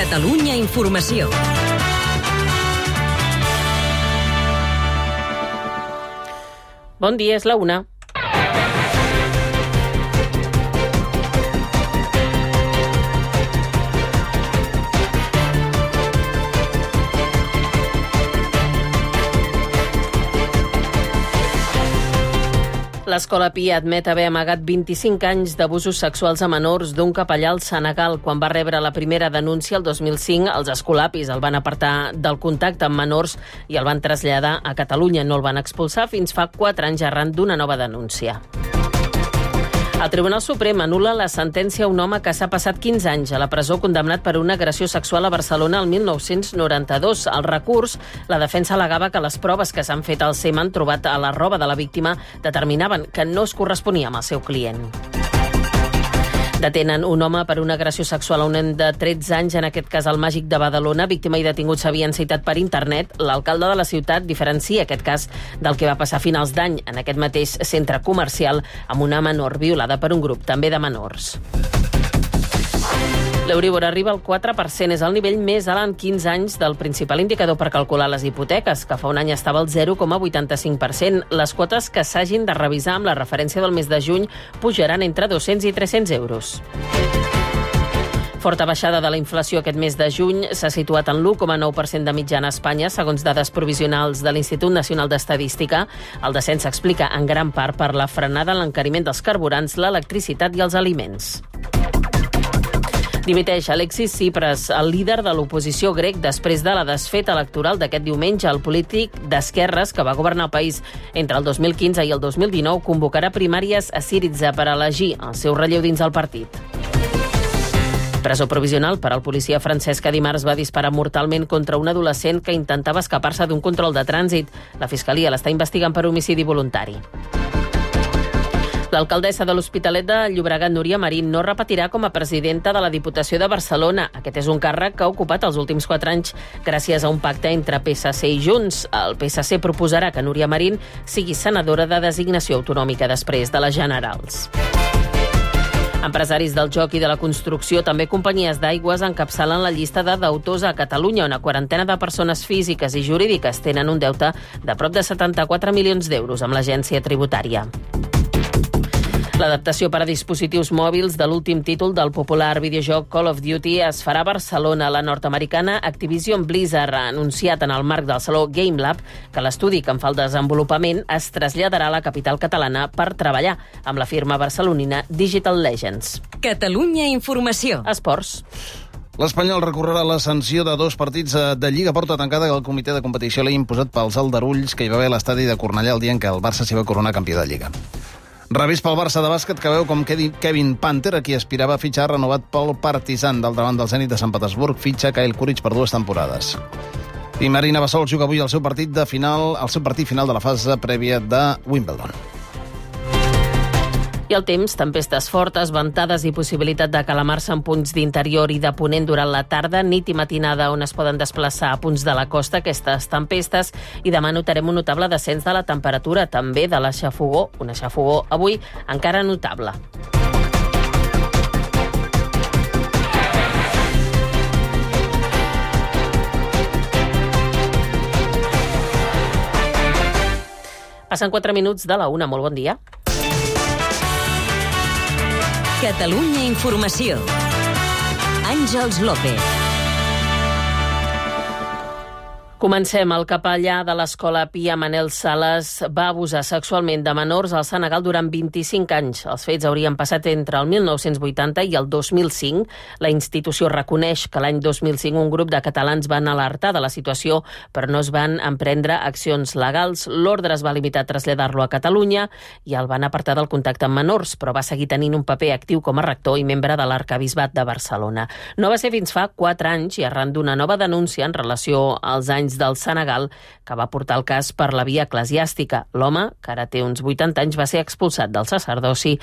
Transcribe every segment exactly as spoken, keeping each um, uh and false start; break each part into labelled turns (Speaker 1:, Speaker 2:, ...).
Speaker 1: Catalunya Informació.
Speaker 2: Bon dia, és la una. L'Escola Pia admet haver amagat vint-i-cinc anys d'abusos sexuals a menors d'un capellà al Senegal. Quan va rebre la primera denúncia el dos mil cinc, els escolapis el van apartar del contacte amb menors i el van traslladar a Catalunya. No el van expulsar fins fa quatre anys arran d'una nova denúncia. El Tribunal Suprem anul·la la sentència a un home que s'ha passat quinze anys a la presó condemnat per una agressió sexual a Barcelona el mil nou-cents noranta-dos. Al recurs, la defensa al·legava que les proves que s'han fet al semen trobat a la roba de la víctima determinaven que no es corresponia amb el seu client. Detenen un home per una agressió sexual a un nen de tretze anys, en aquest cas al Màgic de Badalona. Víctima i detingut s'havien citat per internet. L'alcalde de la ciutat diferencia aquest cas del que va passar a finals d'any en aquest mateix centre comercial amb una menor violada per un grup també de menors. L'Euríbor arriba al quatre per cent, és el nivell més alt en quinze anys del principal indicador per calcular les hipoteques, que fa un any estava al zero coma vuitanta-cinc per cent. Les quotes que s'hagin de revisar amb la referència del mes de juny pujaran entre dos-cents i tres-cents euros. Forta baixada de la inflació aquest mes de juny, s'ha situat en l'u coma nou per cent de mitjana a Espanya, segons dades provisionals de l'Institut Nacional d'Estadística. El descens s'explica en gran part per la frenada en l'encariment dels carburants, l'electricitat i els aliments. Dimiteix Alexis Tsipras, el líder de l'oposició grec, després de la desfeta electoral d'aquest diumenge. El polític d'esquerres, que va governar el país entre el dos mil quinze i el dos mil dinou, convocarà primàries a Syriza per elegir el seu relleu dins el partit. Presó provisional per al policia francès que dimarts va disparar mortalment contra un adolescent que intentava escapar-se d'un control de trànsit. La Fiscalia l'està investigant per homicidi voluntari. L'alcaldessa de l'Hospitalet de Llobregat, Núria Marín, no repetirà com a presidenta de la Diputació de Barcelona. Aquest és un càrrec que ha ocupat els últims quatre anys gràcies a un pacte entre P S C i Junts. El P S C proposarà que Núria Marín sigui senadora de designació autonòmica després de les generals. Empresaris del joc i de la construcció, també companyies d'aigües, encapçalen la llista de deutors a Catalunya, on una quarantena de persones físiques i jurídiques tenen un deute de prop de setanta-quatre milions d'euros amb l'agència tributària. L'adaptació per a dispositius mòbils de l'últim títol del popular videojoc Call of Duty es farà a Barcelona. La nord-americana Activision Blizzard ha anunciat en el marc del saló Game Lab que l'estudi que en fa el desenvolupament es traslladarà a la capital catalana per treballar amb la firma barcelonina Digital Legends.
Speaker 1: Catalunya Informació.
Speaker 2: Esports.
Speaker 3: L'Espanyol recorrerà la sanció de dos partits de Lliga porta tancada que el comitè de competició l'ha imposat pels aldarulls que hi va haver a l'estadi de Cornellà el dia en què el Barça s'hi va coronar campió de Lliga. Revés pel Barça de bàsquet, que veu com Kevin Panther, a qui aspirava a fitxar, renovat pel Partizan. D'altra banda, el Zenit de Sant Petersburg fitxa Kyle Kuric per dues temporades. I Marina Bassols juga avui el seu partit de final, el seu partit final de la fase prèvia de Wimbledon.
Speaker 2: I el temps, tempestes fortes, ventades i possibilitat de calamar-se en punts d'interior i de ponent durant la tarda, nit i matinada, on es poden desplaçar a punts de la costa aquestes tempestes, i demà notarem un notable descens de la temperatura, també de la xafogó, una xafogó avui encara notable. Passen quatre minuts de la una, molt bon dia.
Speaker 1: Catalunya Informació. Àngels López.
Speaker 2: Comencem. El capellà de l'Escola Pia, Manel Sales, va abusar sexualment de menors al Senegal durant vint-i-cinc anys. Els fets haurien passat entre el mil nou-cents vuitanta i el dos mil cinc. La institució reconeix que l'any dos mil cinc un grup de catalans van alertar de la situació, però no es van emprendre accions legals. L'ordre es va limitar a traslladar-lo a Catalunya i el van apartar del contacte amb menors, però va seguir tenint un paper actiu com a rector i membre de l'Arquebisbat de Barcelona. No va ser fins fa quatre anys i arran d'una nova denúncia en relació als anys anys del Senegal, que va portar el cas per la via eclesiàstica. L'home, que ara té uns vuitanta anys, va ser expulsat del sacerdoci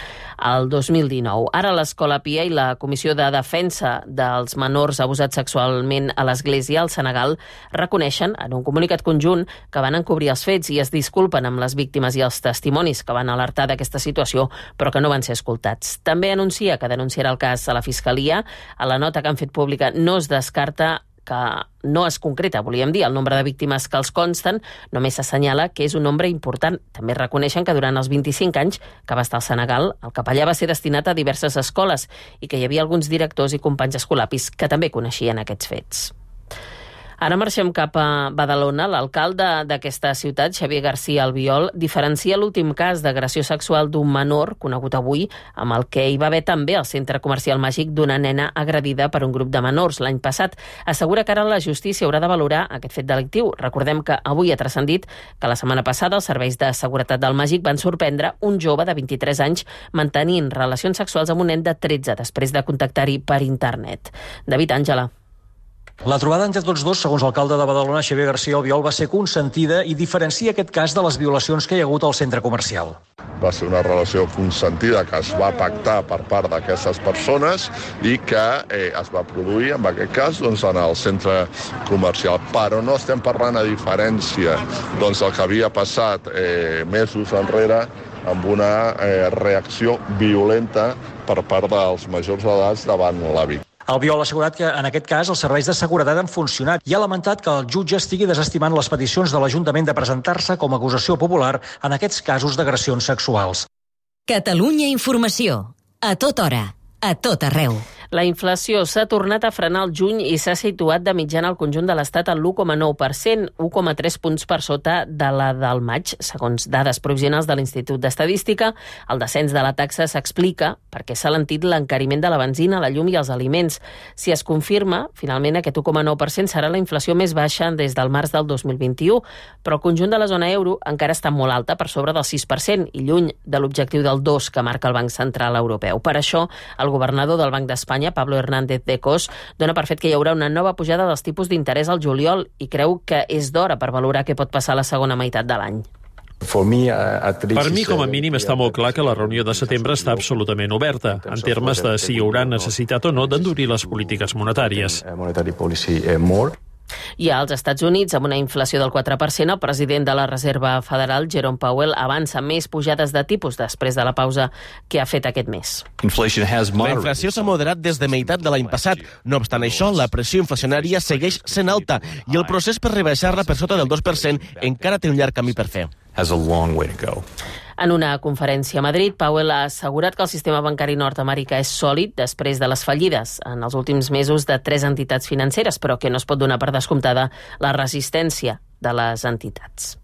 Speaker 2: el dos mil dinou. Ara l'Escola Pia i la Comissió de Defensa dels Menors abusats sexualment a l'Església al Senegal reconeixen en un comunicat conjunt que van encobrir els fets i es disculpen amb les víctimes i els testimonis que van alertar d'aquesta situació, però que no van ser escoltats. També anuncia que denunciarà el cas a la Fiscalia. A la nota que han fet pública no es descarta que no es concreta, volíem dir, el nombre de víctimes que els consten, només s'assenyala que és un nombre important. També reconeixen que durant els vint-i-cinc anys que va estar al Senegal, el capellà va ser destinat a diverses escoles i que hi havia alguns directors i companys escolapis que també coneixien aquests fets. Ara marxem cap a Badalona. L'alcalde d'aquesta ciutat, Xavier García Albiol, diferencia l'últim cas d'agressió sexual d'un menor, conegut avui, amb el que hi va haver també al centre comercial màgic d'una nena agredida per un grup de menors l'any passat. Assegura que ara la justícia haurà de valorar aquest fet delictiu. Recordem que avui ha transcendit que la setmana passada els serveis de seguretat del màgic van sorprendre un jove de vint-i-tres anys mantenint relacions sexuals amb un nen de tretze després de contactar-hi per internet. David Àngela.
Speaker 4: La trobada entre tots dos, segons l'alcalde de Badalona, Xavier García Albiol, va ser consentida i diferencia aquest cas de les violacions que hi ha hagut al centre comercial.
Speaker 5: Va ser una relació consentida que es va pactar per part d'aquestes persones i que eh, es va produir, en aquest cas, doncs, en el centre comercial. Però no estem parlant, a diferència doncs, del que havia passat eh, mesos enrere, amb una eh, reacció violenta per part dels majors d'edat davant la víctima.
Speaker 4: Albiol ha assegurat que en aquest cas els serveis de seguretat han funcionat i ha lamentat que el jutge estigui desestimant les peticions de l'Ajuntament de presentar-se com a acusació popular en aquests casos d'agressions sexuals.
Speaker 1: Catalunya Informació. A tota hora. A tot arreu.
Speaker 2: La inflació s'ha tornat a frenar al juny i s'ha situat de mitjana al conjunt de l'Estat en l'u coma nou per cent, un coma tres punts per sota de la del maig, segons dades provisionals de l'Institut d'Estadística. El descens de la taxa s'explica perquè s'ha alentit l'encariment de la benzina, la llum i els aliments. Si es confirma, finalment aquest u coma nou per cent serà la inflació més baixa des del març del dos mil vint-i-u, però el conjunt de la zona euro encara està molt alta, per sobre del sis per cent, i lluny de l'objectiu del dos que marca el Banc Central Europeu. Per això, el governador del Banc d'Espanya, Pablo Hernández de Cos, dona per fet que hi haurà una nova pujada dels tipus d'interès al juliol i creu que és d'hora per valorar què pot passar a la segona meitat de l'any.
Speaker 6: Per mi, com a mínim, està molt clar que la reunió de setembre està absolutament oberta, en termes de si hi haurà necessitat o no d'endurir les polítiques monetàries.
Speaker 2: I als Estats Units, amb una inflació del quatre per cent, el president de la Reserva Federal, Jerome Powell, avança més pujades de tipus després de la pausa que ha fet aquest mes.
Speaker 7: La inflació s'ha moderat des de meitat de l'any passat. No obstant això, la pressió inflacionària segueix sent alta i el procés per rebaixar-la per sota del dos per cent encara té un llarg camí per fer.
Speaker 2: En una conferència a Madrid, Powell ha assegurat que el sistema bancari nord-americà és sòlid després de les fallides en els últims mesos de tres entitats financeres, però que no es pot donar per descomptada la resistència de les entitats.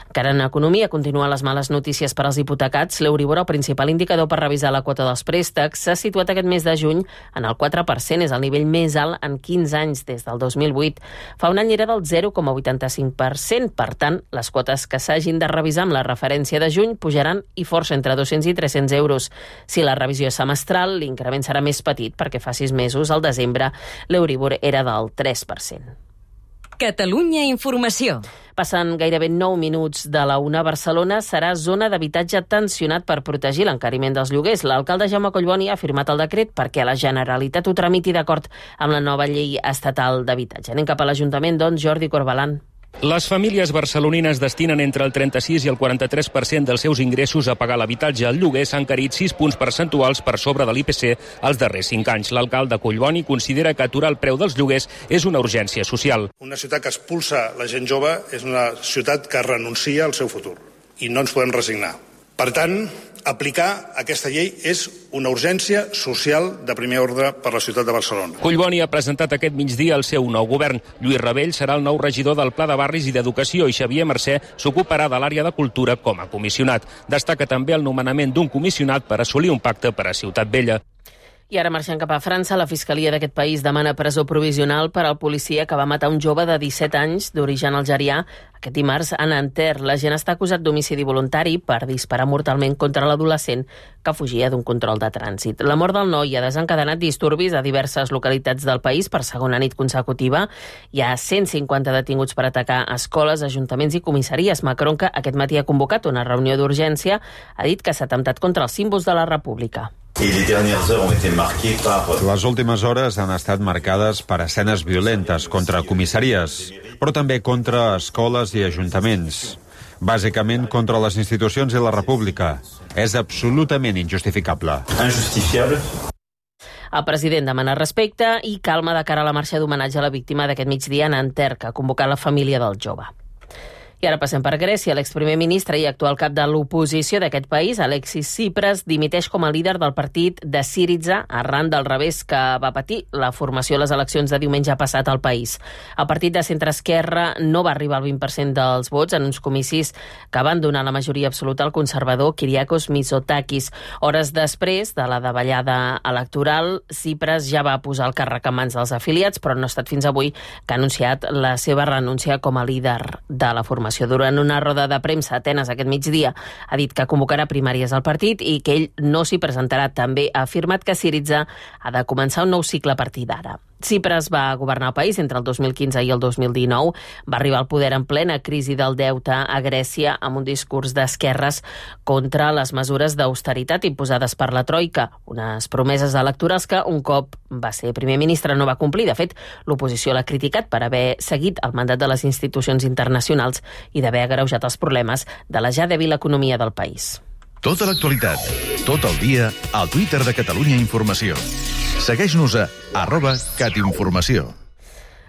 Speaker 2: Encara en economia, continuen les males notícies per als hipotecats. L'Euribor, el principal indicador per revisar la quota dels préstecs, s'ha situat aquest mes de juny en el quatre per cent, és el nivell més alt en quinze anys des del dos mil vuit. Fa un any era del zero coma vuitanta-cinc per cent, per tant, les quotes que s'hagin de revisar amb la referència de juny pujaran i força entre dos-cents i tres-cents euros. Si la revisió és semestral, l'increment serà més petit perquè fa sis mesos, al desembre, l'Euribor era del tres per cent.
Speaker 1: Catalunya Informació.
Speaker 2: Passen gairebé nou minuts de la una. Barcelona serà zona d'habitatge tensionat per protegir l'encariment dels lloguers. L'alcalde Jaume Collboni ha firmat el decret perquè la Generalitat ho tramiti d'acord amb la nova llei estatal d'habitatge. Anem cap a l'Ajuntament, doncs, Jordi Corbalan.
Speaker 8: Les famílies barcelonines destinen entre el trenta-sis i el quaranta-tres per cent dels seus ingressos a pagar l'habitatge. El lloguer s'ha encarit sis punts percentuals per sobre de l'I P C els darrers cinc anys. L'alcalde Collboni considera que aturar el preu dels lloguers és una urgència social.
Speaker 9: Una ciutat que expulsa la gent jove és una ciutat que renuncia al seu futur i no ens podem resignar. Per tant, aplicar aquesta llei és una urgència social de primer ordre per la ciutat de Barcelona.
Speaker 8: Collboni ha presentat aquest migdia el seu nou govern. Lluís Rebell serà el nou regidor del Pla de Barris i d'Educació i Xavier Mercè s'ocuparà de l'àrea de cultura com a comissionat. Destaca també el nomenament d'un comissionat per assolir un pacte per a Ciutat Vella.
Speaker 2: I ara marxant cap a França, la Fiscalia d'aquest país demana presó provisional per al policia que va matar un jove de disset anys d'origen algerià aquest dimarts a Nanterre. L'agent està acusat d'homicidi voluntari per disparar mortalment contra l'adolescent que fugia d'un control de trànsit. La mort del noi ha desencadenat disturbis a diverses localitats del país per segona nit consecutiva. Hi ha cent cinquanta detinguts per atacar escoles, ajuntaments i comissaries. Macron, que aquest matí ha convocat una reunió d'urgència, ha dit que s'ha atemptat contra els símbols de la República.
Speaker 10: Les últimes hores han estat marcades per escenes violentes contra comissaries, però també contra escoles i ajuntaments. Bàsicament contra les institucions i la República. És absolutament injustificable.
Speaker 2: Injustifiable. El president demana respecte i calma de cara a la marxa d'homenatge a la víctima d'aquest migdia a Nanterre, que ha convocat la família del jove. I ara passem per Grècia. L'exprimer ministre i actual cap de l'oposició d'aquest país, Alexis Tsipras, dimiteix com a líder del partit de Syriza arran del revés que va patir la formació a les eleccions de diumenge passat al país. El partit de centre-esquerra no va arribar al vint per cent dels vots en uns comicis que van donar la majoria absoluta al conservador Kyriakos Mitsotakis. Hores després de la davallada electoral, Tsipras ja va posar el càrrec en mans dels afiliats, però no ha estat fins avui que ha anunciat la seva renúncia com a líder de la formació. Durant una roda de premsa a Atenes aquest migdia ha dit que convocarà primàries al partit i que ell no s'hi presentarà. També ha afirmat que Syriza ha de començar un nou cicle a partir d'ara. Tsipras va governar el país entre el dos mil quinze i el dos mil dinou. Va arribar al poder en plena crisi del deute a Grècia amb un discurs d'esquerres contra les mesures d'austeritat imposades per la Troika, unes promeses electorals que un cop va ser primer ministre no va complir. De fet, l'oposició l'ha criticat per haver seguit el mandat de les institucions internacionals i d'haver agreujat els problemes de la ja dèbil economia del país.
Speaker 11: Tota l'actualitat, tot el dia, al Twitter de Catalunya Informació. Segueix-nos a arroba catinformació.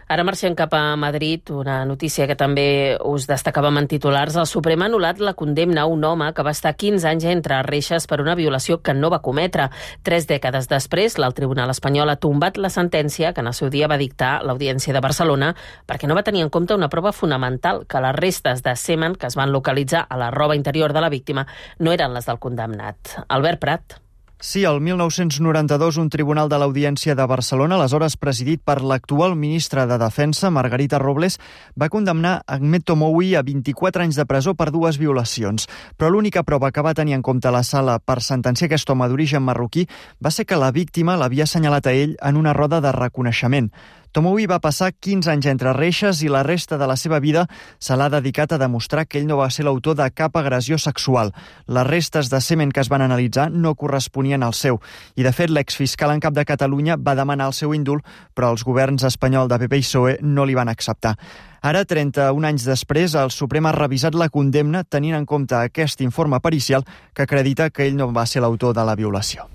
Speaker 2: Ara marxem cap a Madrid, una notícia que també us destacàvem en titulars. El Suprem ha anul·lat la condemna a un home que va estar quinze anys entre reixes per una violació que no va cometre. Tres dècades després, el Tribunal espanyol ha tombat la sentència que en el seu dia va dictar l'Audiència de Barcelona perquè no va tenir en compte una prova fonamental, que les restes de semen que es van localitzar a la roba interior de la víctima no eren les del condemnat. Albert Prat.
Speaker 12: Sí, el mil nou-cents noranta-dos, un tribunal de l'Audiència de Barcelona, aleshores presidit per l'actual ministra de Defensa, Margarita Robles, va condemnar Ahmed Tomoui a vint-i-quatre anys de presó per dues violacions. Però l'única prova que va tenir en compte la sala per sentenciar aquest home d'origen marroquí va ser que la víctima l'havia assenyalat a ell en una roda de reconeixement. Tomoui va passar quinze anys entre reixes i la resta de la seva vida se l'ha dedicat a demostrar que ell no va ser l'autor de cap agressió sexual. Les restes de semen que es van analitzar no corresponien al seu. I, de fet, l'exfiscal en cap de Catalunya va demanar el seu índult, però els governs espanyol de P P i P S O E no li van acceptar. Ara, trenta-un anys després, el Suprem ha revisat la condemna tenint en compte aquest informe pericial que acredita que ell no va ser l'autor de la violació.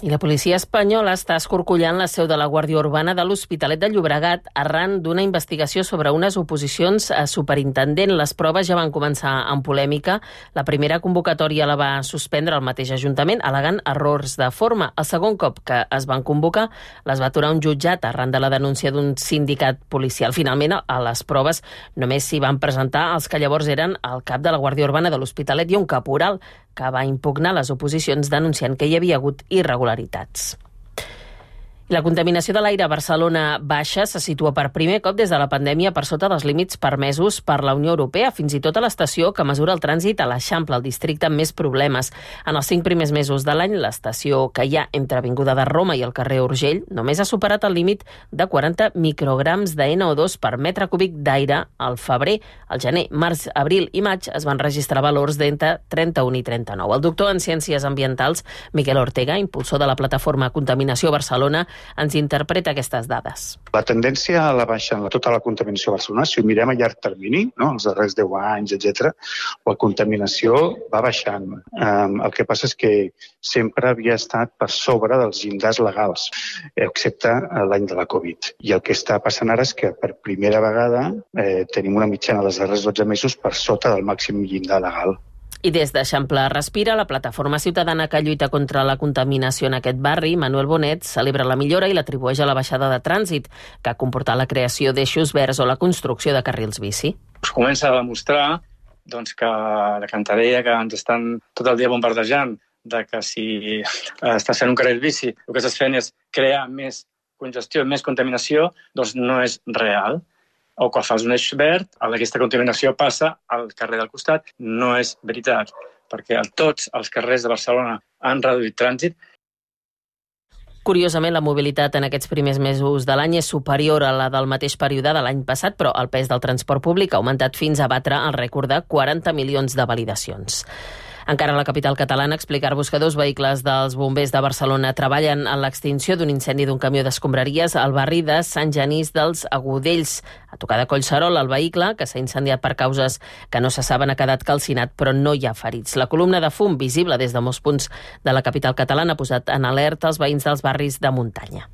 Speaker 2: I la policia espanyola està escorcollant la seu de la Guàrdia Urbana de l'Hospitalet de Llobregat arran d'una investigació sobre unes oposicions a superintendent. Les proves ja van començar amb polèmica. La primera convocatòria la va suspendre el mateix Ajuntament, al·legant errors de forma. El segon cop que es van convocar les va aturar un jutjat arran de la denúncia d'un sindicat policial. Finalment, a les proves només s'hi van presentar els que llavors eren el cap de la Guàrdia Urbana de l'Hospitalet i un caporal, que va impugnar les oposicions denunciant que hi havia hagut irregularitats. La contaminació de l'aire a Barcelona baixa se situa per primer cop des de la pandèmia per sota dels límits permesos per la Unió Europea, fins i tot a l'estació que mesura el trànsit a l'Eixample, el districte amb més problemes. En els cinc primers mesos de l'any, l'estació que hi ha entre Avinguda de Roma i el carrer Urgell només ha superat el límit de quaranta micrograms de N O dos per metre cúbic d'aire al febrer. Al gener, març, abril i maig es van registrar valors d'entre trenta-un i trenta-nou. El doctor en Ciències Ambientals, Miquel Ortega, impulsor de la plataforma Contaminació Barcelona, ens interpreta aquestes dades.
Speaker 13: La tendència a la baixa en tota la contaminació a Barcelona, si ho mirem a llarg termini, no, els darrers deu anys, etcètera, la contaminació va baixant. Um, el que passa és que sempre havia estat per sobre dels llindars legals, excepte l'any de la Covid. I el que està passant ara és que per primera vegada eh, tenim una mitjana dels darrers dotze mesos per sota del màxim llindar legal.
Speaker 2: I des d'Eixample Respira, la plataforma ciutadana que lluita contra la contaminació en aquest barri, Manuel Bonet, celebra la millora i l'atribueix a la baixada de trànsit, que ha comportat la creació d'eixos verds o la construcció de carrils bici.
Speaker 14: Es comença a demostrar doncs, que la cantarella que ens estan tot el dia bombardejant de que si està sent un carril bici el que estàs fent és crear més congestió, més contaminació, doncs no és real. O quan fas un eix verd, aquesta contaminació passa al carrer del costat. No és veritat, perquè tots els carrers de Barcelona han reduït trànsit.
Speaker 2: Curiosament, la mobilitat en aquests primers mesos de l'any és superior a la del mateix període de l'any passat, però el pes del transport públic ha augmentat fins a batre el rècord de quaranta milions de validacions. Encara a la capital catalana, explicar-vos que dos vehicles dels bombers de Barcelona treballen en l'extinció d'un incendi d'un camió d'escombraries al barri de Sant Genís dels Agudells. A tocar de Collserola, el vehicle, que s'ha incendiat per causes que no se saben, ha quedat calcinat, però no hi ha ferits. La columna de fum, visible des de molts punts de la capital catalana, ha posat en alerta els veïns dels barris de muntanya.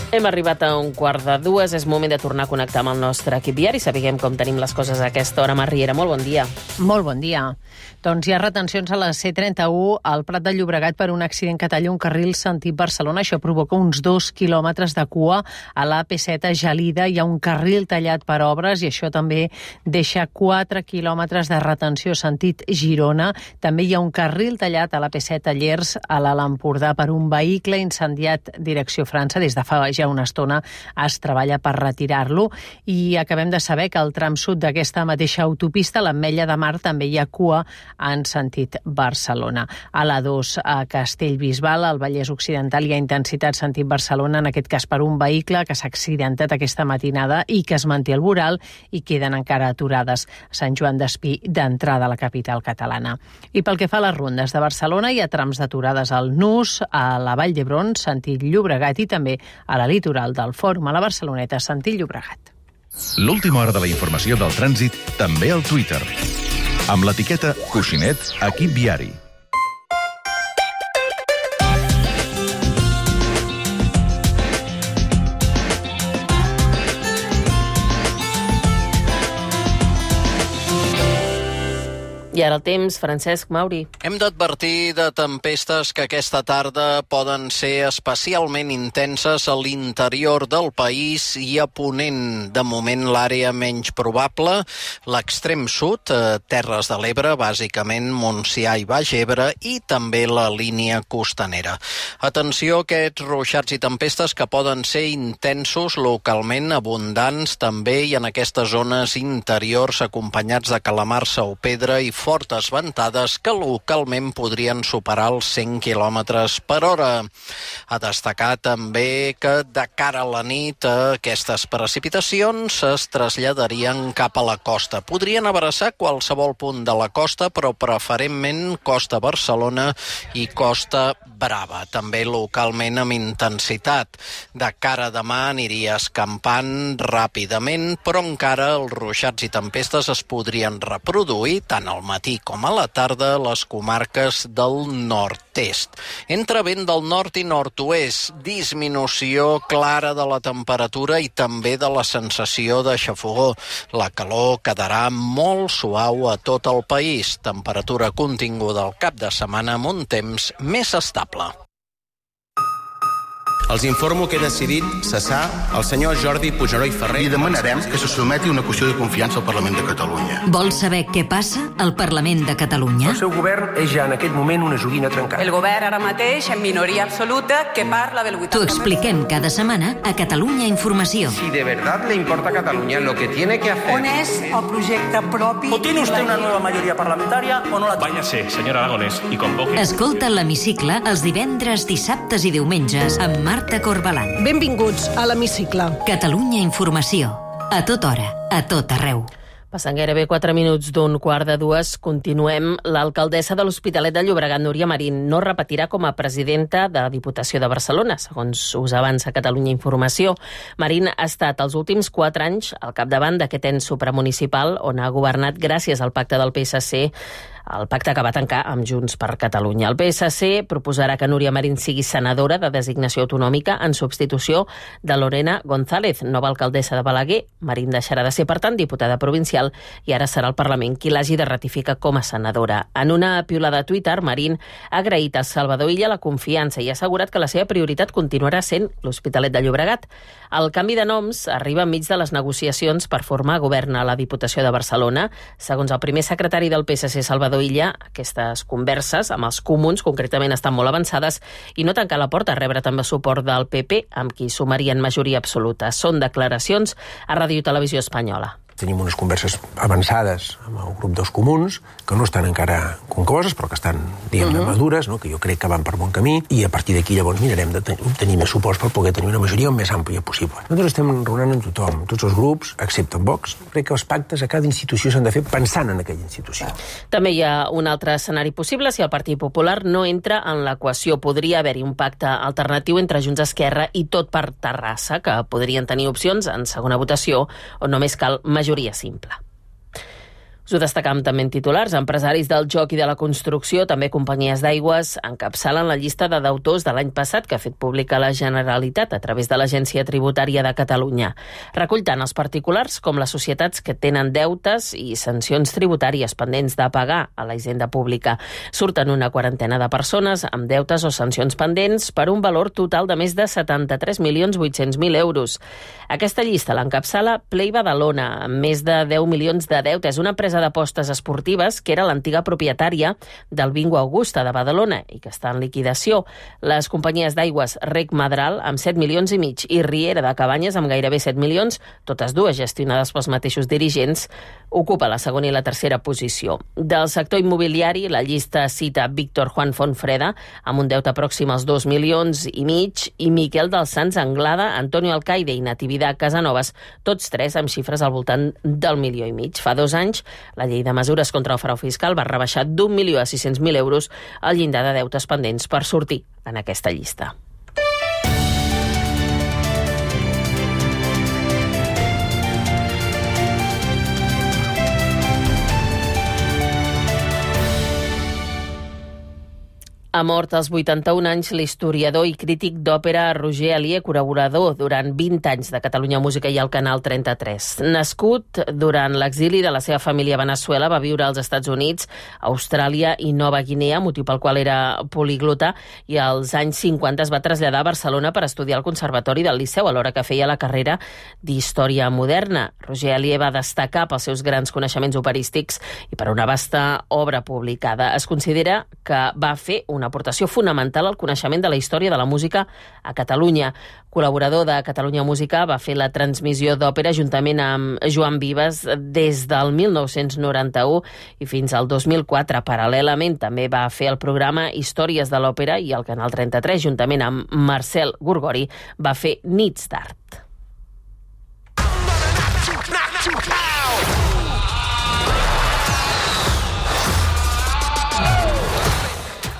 Speaker 2: Hem arribat a un quart de dues, és moment de tornar a connectar amb el nostre equip diari. Sapiguem com tenim les coses a aquesta hora. Mar Riera, molt bon dia.
Speaker 15: Molt bon dia. Doncs hi ha retencions a la C trenta-u al Prat de Llobregat per un accident que talla un carril sentit Barcelona. Això provoca uns dos quilòmetres de cua. A la A P set a Gelida hi ha un carril tallat per obres i això també deixa quatre quilòmetres de retenció sentit Girona. També hi ha un carril tallat a la A P set a Llers, a l'Alt Empordà, per un vehicle incendiat direcció França. Des de fa ja una estona es treballa per retirar-lo i acabem de saber que al tram sud d'aquesta mateixa autopista, l'Ametlla de Mar, també hi ha cua en sentit Barcelona. A la dos a Castellbisbal, al Vallès Occidental, hi ha intensitat sentit Barcelona, en aquest cas per un vehicle que s'ha accidentat aquesta matinada i que es manté al voral i queden encara aturades a Sant Joan d'Espí, d'entrada a la capital catalana. I pel que fa a les rondes de Barcelona, hi ha trams d'aturades al Nus, a la Vall d'Hebron, sentit Llobregat, i també a la litoral del Fòrum a la Barceloneta, sentit Llobregat.
Speaker 11: L'última hora de la informació del trànsit també al Twitter. Amb l'etiqueta Coixinet Equip Viari.
Speaker 2: I ara el temps, Francesc Mauri.
Speaker 16: Hem d'advertir de tempestes que aquesta tarda poden ser especialment intenses a l'interior del país i a Ponent. De moment, l'àrea menys probable, l'extrem sud, Terres de l'Ebre, bàsicament Montsià i Baix Ebre, i també la línia costanera. Atenció a aquests ruixats i tempestes que poden ser intensos localment, abundants també, i en aquestes zones interiors acompanyats de calamarsa o pedra i fortes ventades que localment podrien superar els cent quilòmetres per hora. A destacar també que de cara a la nit aquestes precipitacions es traslladarien cap a la costa. Podrien abraçar qualsevol punt de la costa, però preferentment Costa Barcelona i Costa Brava, també localment amb intensitat. De cara a demà aniria escampant ràpidament, però encara els ruixats i tempestes es podrien reproduir tant al matí com a la tarda a les comarques del nord-est. Entre vent del nord i nord-oest, disminució clara de la temperatura i també de la sensació de xafogor. La calor quedarà molt suau a tot el país. Temperatura continguda al cap de setmana amb un temps més estable.
Speaker 17: Els informo que he decidit cessar el senyor Jordi Puigneró i Ferrer.
Speaker 18: Li demanarem que se sotmeti una qüestió de confiança al Parlament de Catalunya.
Speaker 1: Vols saber què passa al Parlament de Catalunya?
Speaker 19: El seu govern és ja en aquest moment una joguina trencada.
Speaker 20: El govern ara mateix en minoria absoluta que parla del vuitanta per cent.
Speaker 1: T'ho expliquem cada setmana a Catalunya Informació.
Speaker 19: Si de verdad le importa a Catalunya, lo que tiene que hacer...
Speaker 20: On és el projecte propi?
Speaker 21: ¿O tiene usted una nueva mayoría parlamentaria o no la tiene?
Speaker 22: Váyase, señor Aragonès, y convoque...
Speaker 1: Escolta l'Hemicicle els divendres, dissabtes i diumenges amb Marta Corbalan.
Speaker 23: Benvinguts a l'Hemicicle.
Speaker 1: Catalunya Informació. A tota hora, a tot arreu.
Speaker 2: Passant gairebé quatre minuts d'un quart de dues, continuem. L'alcaldessa de l'Hospitalet de Llobregat, Núria Marín, no repetirà com a presidenta de la Diputació de Barcelona, segons us avança Catalunya Informació. Marín ha estat els últims quatre anys al capdavant d'aquest ens supramunicipal on ha governat gràcies al pacte del P S C el pacte que va tancar amb Junts per Catalunya. El P S C proposarà que Núria Marín sigui senadora de designació autonòmica en substitució de Lorena González, nova alcaldessa de Balaguer. Marín deixarà de ser, per tant, diputada provincial i ara serà el Parlament qui l'hagi de ratificar com a senadora. En una piulada a Twitter, Marín ha agraït a Salvador Illa la confiança i ha assegurat que la seva prioritat continuarà sent l'Hospitalet de Llobregat. El canvi de noms arriba enmig de les negociacions per formar govern a la Diputació de Barcelona. Segons el primer secretari del P S C, Salvador Illa, aquestes converses amb els comuns concretament estan molt avançades i no tancar la porta a rebre també suport del P P, amb qui sumarien majoria absoluta. Són declaracions a Ràdio Televisió Espanyola.
Speaker 3: Tenim unes converses avançades amb el grup dels comuns, que no estan encara concloses, però que estan, diguem-ne, uh-huh. madures, no? Que jo crec que van per bon camí, i a partir d'aquí llavors mirarem d'obtenir més suports per poder tenir una majoria el més àmplia possible. Nosaltres estem raonant amb tothom, tots els grups, excepte en Vox. Crec que els pactes a cada institució s'han de fer pensant en aquella institució.
Speaker 2: També hi ha un altre escenari possible si el Partit Popular no entra en l'equació. Podria haver-hi un pacte alternatiu entre Junts, Esquerra i Tot per Terrassa, que podrien tenir opcions en segona votació, on només cal majoria simple. Us ho destacam també en titulars. Empresaris del joc i de la construcció, també companyies d'aigües, encapçalen la llista de deutors de l'any passat que ha fet pública la Generalitat a través de l'Agència Tributària de Catalunya. Recull tant els particulars com les societats que tenen deutes i sancions tributàries pendents de pagar a la hisenda pública. Surten una quarantena de persones amb deutes o sancions pendents per un valor total de més de setanta-tres milions vuit-cents mil euros. Aquesta llista l'encapçala Play Badalona, amb més de deu milions de deute. És una empresa d'apostes esportives que era l'antiga propietària del Bingo Augusta de Badalona i que està en liquidació. Les companyies d'aigües Rec Madral amb set milions i mig i Riera de Cabanyes amb gairebé set milions, totes dues gestionades pels mateixos dirigents, ocupa la segona i la tercera posició. Del sector immobiliari, la llista cita Víctor Juan Fontfreda amb un deute pròxim als dos milions i mig i Miquel dels Sants Anglada, Antonio Alcaide i Natividad Casanovas, tots tres amb xifres al voltant del milió i mig. Fa dos anys, la llei de mesures contra el frau fiscal va rebaixar d'un milió a sis-cents mil euros el llindar de deutes pendents per sortir en aquesta llista. Ha mort als vuitanta-un anys l'historiador i crític d'òpera Roger Alier, col·laborador durant vint anys de Catalunya Música i el Canal trenta-tres. Nascut durant l'exili de la seva família a Veneçuela, va viure als Estats Units, Austràlia i Nova Guinea, motiu pel qual era poliglota, i als anys cinquanta es va traslladar a Barcelona per estudiar al Conservatori del Liceu, alhora que feia la carrera d'Història Moderna. Roger Alier va destacar pels seus grans coneixements operístics i per una vasta obra publicada. Es considera que va fer una aportació fonamental al coneixement de la història de la música a Catalunya. Col·laborador de Catalunya Música, va fer la transmissió d'òpera juntament amb Joan Vives des del mil nou-cents noranta-u i fins al dos mil quatre. Paral·lelament també va fer el programa Històries de l'Òpera i el Canal trenta-tres, juntament amb Marcel Gorgori, va fer Nits d'Art.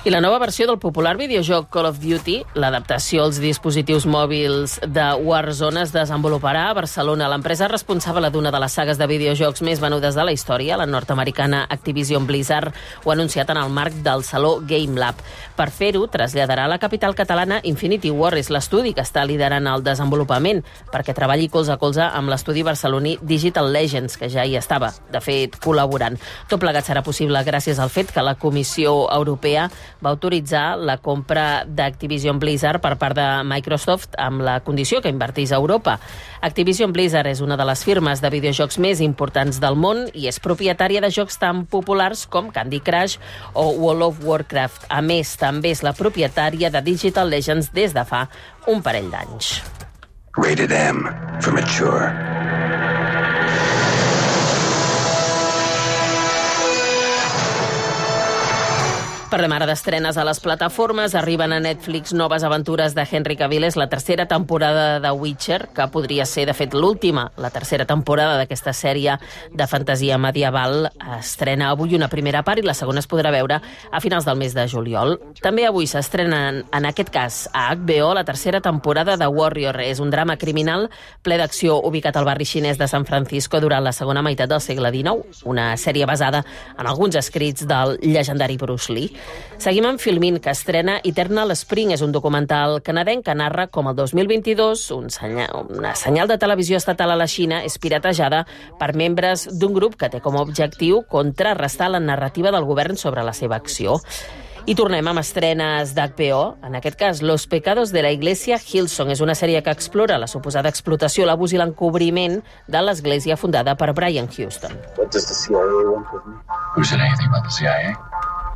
Speaker 2: I la nova versió del popular videojoc Call of Duty, l'adaptació als dispositius mòbils de Warzone, es desenvoluparà a Barcelona. L'empresa responsable d'una de les sagues de videojocs més venudes de la història, la nord-americana Activision Blizzard, ho ha anunciat en el marc del Saló Game Lab. Per fer-ho, traslladarà a la capital catalana Infinity Ward, és l'estudi que està liderant el desenvolupament, perquè treballi colze a colze amb l'estudi barceloní Digital Legends, que ja hi estava, de fet, col·laborant. Tot plegat serà possible gràcies al fet que la Comissió Europea va autoritzar la compra d'Activision Blizzard per part de Microsoft amb la condició que invertís a Europa. Activision Blizzard és una de les firmes de videojocs més importants del món i és propietària de jocs tan populars com Candy Crush o World of Warcraft. A més, també és la propietària de Digital Legends des de fa un parell d'anys.
Speaker 4: Rated M for mature.
Speaker 2: Parlem ara d'estrenes a les plataformes. Arriben a Netflix noves aventures de Henry Cavill. És la tercera temporada de Witcher, que podria ser, de fet, l'última. La tercera temporada d'aquesta sèrie de fantasia medieval estrena avui una primera part i la segona es podrà veure a finals del mes de juliol. També avui s'estrena, en aquest cas, a H B O, la tercera temporada de Warrior. És un drama criminal ple d'acció ubicat al barri xinès de San Francisco durant la segona meitat del segle dinou. Una sèrie basada en alguns escrits del llegendari Bruce Lee. Seguim amb Filmin, que estrena Eternal Spring. És un documental canadenc que narra com el dos mil vint-i-dos un senyal, una senyal de televisió estatal a la Xina és piratejada per membres d'un grup que té com a objectiu contrarrestar la narrativa del govern sobre la seva acció. I tornem amb estrenes d'H B O, en aquest cas Los pecados de la iglesia Hillsong. És una sèrie que explora la suposada explotació, l'abús i l'encobriment de l'església fundada per Brian Houston.
Speaker 5: What does the C I A want with me? Who said anything about the C I A?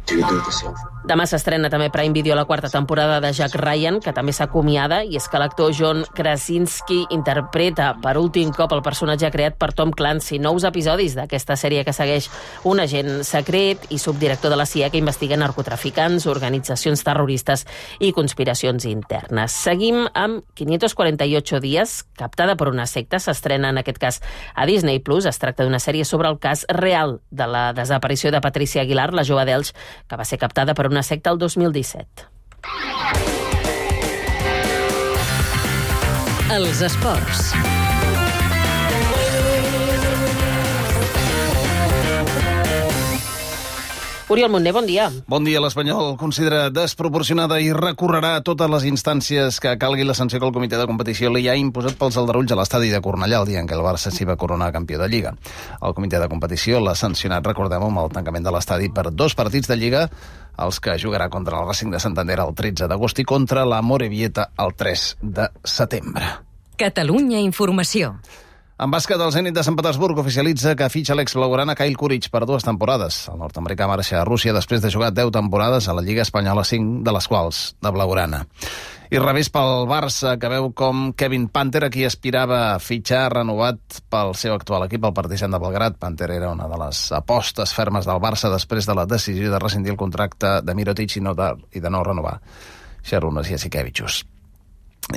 Speaker 5: Do you do the same thing?
Speaker 2: Demà s'estrena també Prime Video la quarta temporada de Jack Ryan, que també s'acomiada, i és que l'actor John Krasinski interpreta per últim cop el personatge creat per Tom Clancy. Nous episodis d'aquesta sèrie que segueix un agent secret i subdirector de la C I A que investiga narcotraficants, organitzacions terroristes i conspiracions internes. Seguim amb quinientos cuarenta y ocho días, captada per una secta. S'estrena en aquest cas a Disney Plus. Es tracta d'una sèrie sobre el cas real de la desaparició de Patricia Aguilar, la jove d'Elx, que va ser captada per una secta el dos mil disset.
Speaker 1: Els esports.
Speaker 2: Oriol Montner, bon dia.
Speaker 6: Bon dia. L'Espanyol considera desproporcionada i recorrerà a totes les instàncies que calgui la sanció que el comitè de competició li ha imposat pels aldarulls a l'estadi de Cornellà el dia en què el Barça s'hi va coronar campió de Lliga. El comitè de competició l'ha sancionat, recordem, amb el tancament de l'estadi per dos partits de Lliga, els que jugarà contra el Racing de Santander el tretze d'agost i contra la Morevieta el tres de setembre.
Speaker 1: Catalunya Informació.
Speaker 6: En bàsquet, el Zenit de Sant Petersburg oficialitza que fitxa l'ex-blaugrana Kyle Kuric per dues temporades. El nord-americà marxa a Rússia després de jugar deu temporades a la Lliga Espanyola, cinc de les quals de blaugrana. I revés pel Barça, que veu com Kevin Panther, a qui aspirava a fitxar, renovat pel seu actual equip, el Partizan de Belgrad. Panther era una de les apostes fermes del Barça després de la decisió de rescindir el contracte de Mirotic i, no de, i de no renovar Šarūnas Jasikevičius.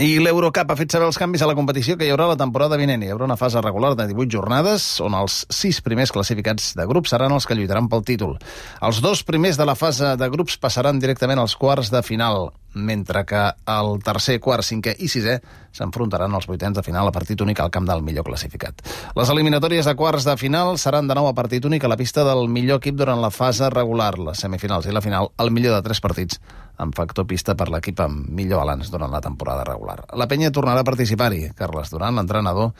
Speaker 6: I l'Eurocup ha fet saber els canvis a la competició que hi haurà la temporada vinent. Hi haurà una fase regular de divuit jornades, on els sis primers classificats de grup seran els que lluitaran pel títol. Els dos primers de la fase de grups passaran directament als quarts de final, mentre que el tercer, quart, cinquè i sisè s'enfrontaran als vuitens de final a partit únic al camp del millor classificat. Les eliminatòries de quarts de final seran de nou a partit únic a la pista del millor equip durant la fase regular. Les semifinals i la final, el millor de tres partits, amb factor pista per l'equip amb millor balanç durant la temporada regular. La penya tornarà a participar-hi. Carles Duran, l'entrenador,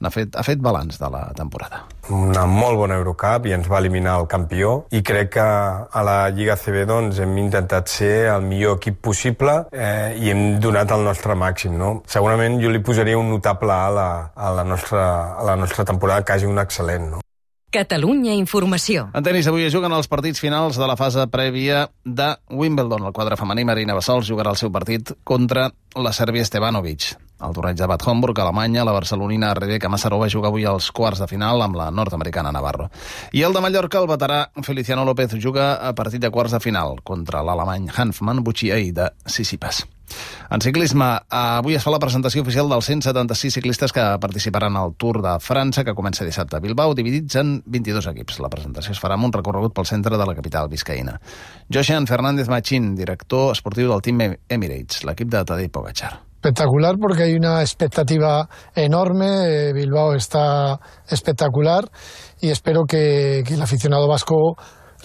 Speaker 6: ha fet, ha fet balanç de la temporada.
Speaker 7: Una molt bona Eurocup i ens va eliminar el campió, i crec que a la Lliga A C B doncs, hem intentat ser el millor equip possible eh, i hem donat el nostre màxim. No? Segurament jo li posaria un notable A la, a la, nostra, a la nostra temporada, quasi un excel·lent. No?
Speaker 1: Catalunya Informació.
Speaker 6: En tenis, avui es juguen els partits finals de la fase prèvia de Wimbledon. El quadre femení, Marina Bassols, jugarà el seu partit contra la sèrbia Stevanovic. Al torneig de Bad Homburg, a Alemanya, la barcelonina Rebeka Massarova juga avui als quarts de final amb la nord-americana Navarro. I el de Mallorca, el veterà Feliciano López, juga a partit de quarts de final contra l'alemany Hanfmann Buchiei de Sissipas. En ciclisme, avui es fa la presentació oficial dels cent setanta-sis ciclistes que participaran al Tour de França, que comença dissabte a Bilbao, dividits en vint-i-dos equips. La presentació es farà amb un recorregut pel centre de la capital biscaïna. Joshan Fernández Machín, director esportiu del Team Emirates, l'equip de Tadej Pogačar.
Speaker 24: Espectacular porque hay una expectativa enorme, Bilbao está espectacular y espero que, que el aficionado vasco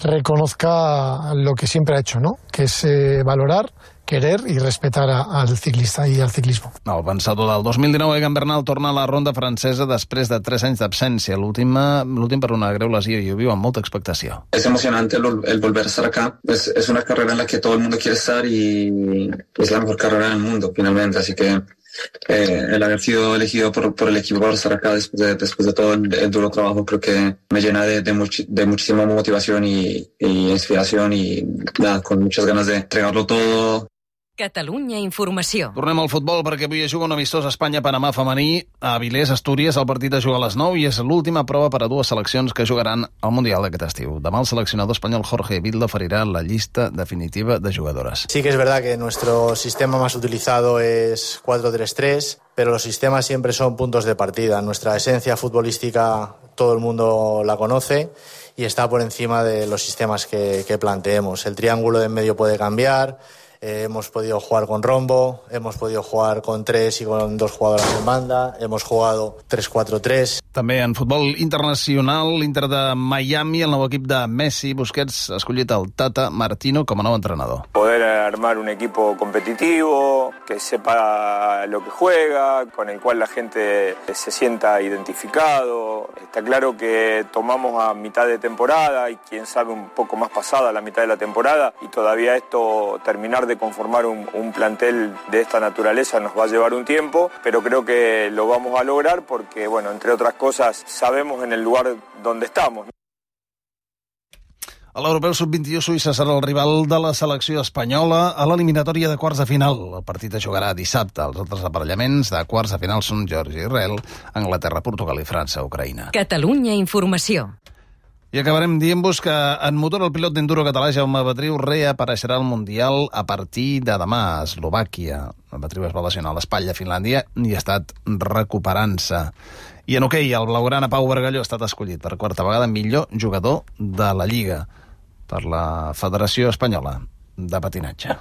Speaker 24: reconozca lo que siempre ha hecho, ¿no? Que es eh, valorar, querer i respetar al ciclista i al ciclismo.
Speaker 6: El vencedor del dos mil dinou, Egan Bernal, torna a la ronda francesa després de tres anys d'absència. L'últim per una greu lesió, i ho viu amb molta expectació.
Speaker 25: Es emocionante el, el volver a estar acá. Es, es una carrera en la que todo el mundo quiere estar y es la mejor carrera del mundo, finalmente. Así que eh, el haber sido elegido por, por el equipo para estar acá después de, después de todo el, el duro trabajo, creo que me llena de, de, much, de muchísima motivación y, y inspiración y nada, con muchas ganas de entregarlo todo.
Speaker 1: Catalunya Informació.
Speaker 6: Tornem al futbol perquè avui es juga un amistós Espanya-Panamà femení a Avilés, Astúries. El partit es juga a les nou i és l'última prova per a dues seleccions que jugaran al Mundial d'aquest estiu. Demà el seleccionador espanyol Jorge Vilda oferirà la llista definitiva de jugadores.
Speaker 8: Sí que es verdad que nuestro sistema más utilizado es cuatro tres tres, pero los sistemas siempre son puntos de partida. Nuestra esencia futbolística todo el mundo la conoce y está por encima de los sistemas que, que planteemos. El triángulo de en medio puede cambiar. Eh, hemos podido jugar con rombo, hemos podido jugar con tres y con dos jugadoras en banda, hemos jugado tres cuatro tres.
Speaker 6: També en futbol internacional, l'Inter de Miami, el nou equip de Messi, Busquets ha escollit el Tata Martino com a nou entrenador.
Speaker 9: Poder armar un equipo competitivo, que sepa lo que juega, con el cual la gente se sienta identificado. Está claro que tomamos a mitad de temporada y quién sabe un poco más pasada la mitad de la temporada y todavía esto terminar de de conformar un, un plantel de esta naturaleza nos va a llevar un tiempo, pero creo que lo vamos a lograr porque, bueno, entre otras cosas, sabemos en el lugar donde estamos.
Speaker 6: A l'Europeu sub vint-i-u, Suïssa serà el rival de la selecció espanyola a l'eliminatòria de quarts de final. El partit es jugarà dissabte. Els altres aparellaments de quarts de final són Geòrgia, Israel, Anglaterra, Portugal i França, Ucraïna.
Speaker 1: Catalunya Informació.
Speaker 6: I acabarem dient-vos que en motor el pilot d'enduro català Jaume Batriu reapareixerà al Mundial a partir de demà a Eslovàquia. Batriu es va lesionar a l'espatlla a Finlàndia i ha estat recuperant-se. I en hoquei, el blaugrana Pau Bargalló ha estat escollit per quarta vegada millor jugador de la Lliga per la Federació Espanyola de Patinatge.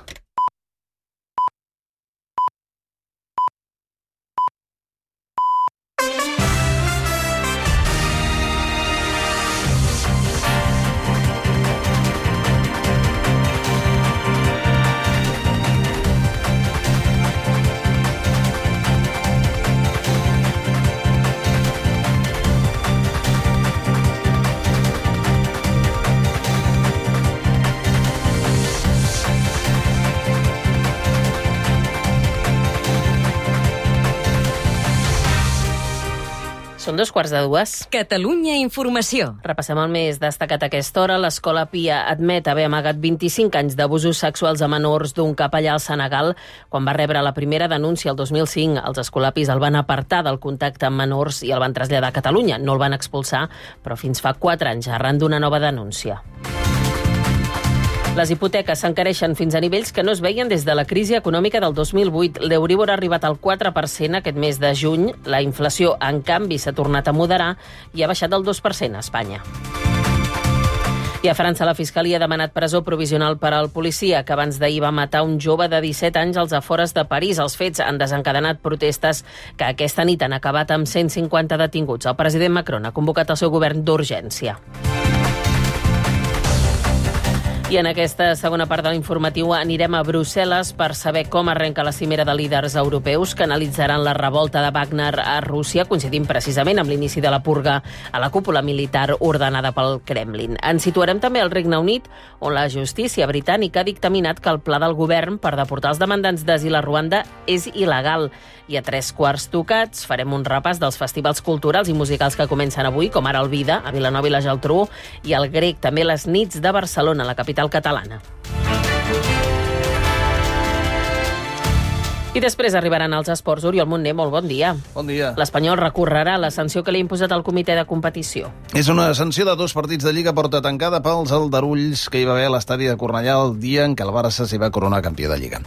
Speaker 2: Són dos quarts de dues.
Speaker 1: Catalunya Informació.
Speaker 2: Repassem el més destacat a aquesta hora. L'Escola Pia admet haver amagat vint-i-cinc anys d'abusos sexuals a menors d'un capellà al Senegal. Quan va rebre la primera denúncia el dos mil cinc, els escolapis el van apartar del contacte amb menors i el van traslladar a Catalunya. No el van expulsar, però fins fa quatre anys, arran d'una nova denúncia. Les hipoteques s'encareixen fins a nivells que no es veien des de la crisi econòmica del dos mil vuit. L'Euríbor ha arribat al quatre per cent aquest mes de juny. La inflació, en canvi, s'ha tornat a moderar i ha baixat del dos per cent a Espanya. I a França, la Fiscalia ha demanat presó provisional per al policia que abans d'ahir va matar un jove de disset anys als afores de París. Els fets han desencadenat protestes que aquesta nit han acabat amb cent cinquanta detinguts. El president Macron ha convocat el seu govern d'urgència. I en aquesta segona part de l'informatiu anirem a Brussel·les per saber com arrenca la cimera de líders europeus que analitzaran la revolta de Wagner a Rússia, coincidint precisament amb l'inici de la purga a la cúpula militar ordenada pel Kremlin. Ens situarem també al Regne Unit, on la justícia britànica ha dictaminat que el pla del govern per deportar els demandants d'asil a Ruanda és il·legal. I a tres quarts tocats farem un repàs dels festivals culturals i musicals que comencen avui, com ara el Vida, a Vilanova i la Geltrú, i el Grec, també les nits de Barcelona, la capital catalana. I després arribaran els esports. Oriol Montner, molt bon dia.
Speaker 6: Bon dia.
Speaker 2: L'Espanyol recorrerà la sanció que li ha imposat el comitè de competició.
Speaker 6: És una sanció de dos partits de Lliga porta tancada pels aldarulls que hi va haver a l'estadi de Cornellà el dia en què el Barça s'hi va coronar campió de Lliga.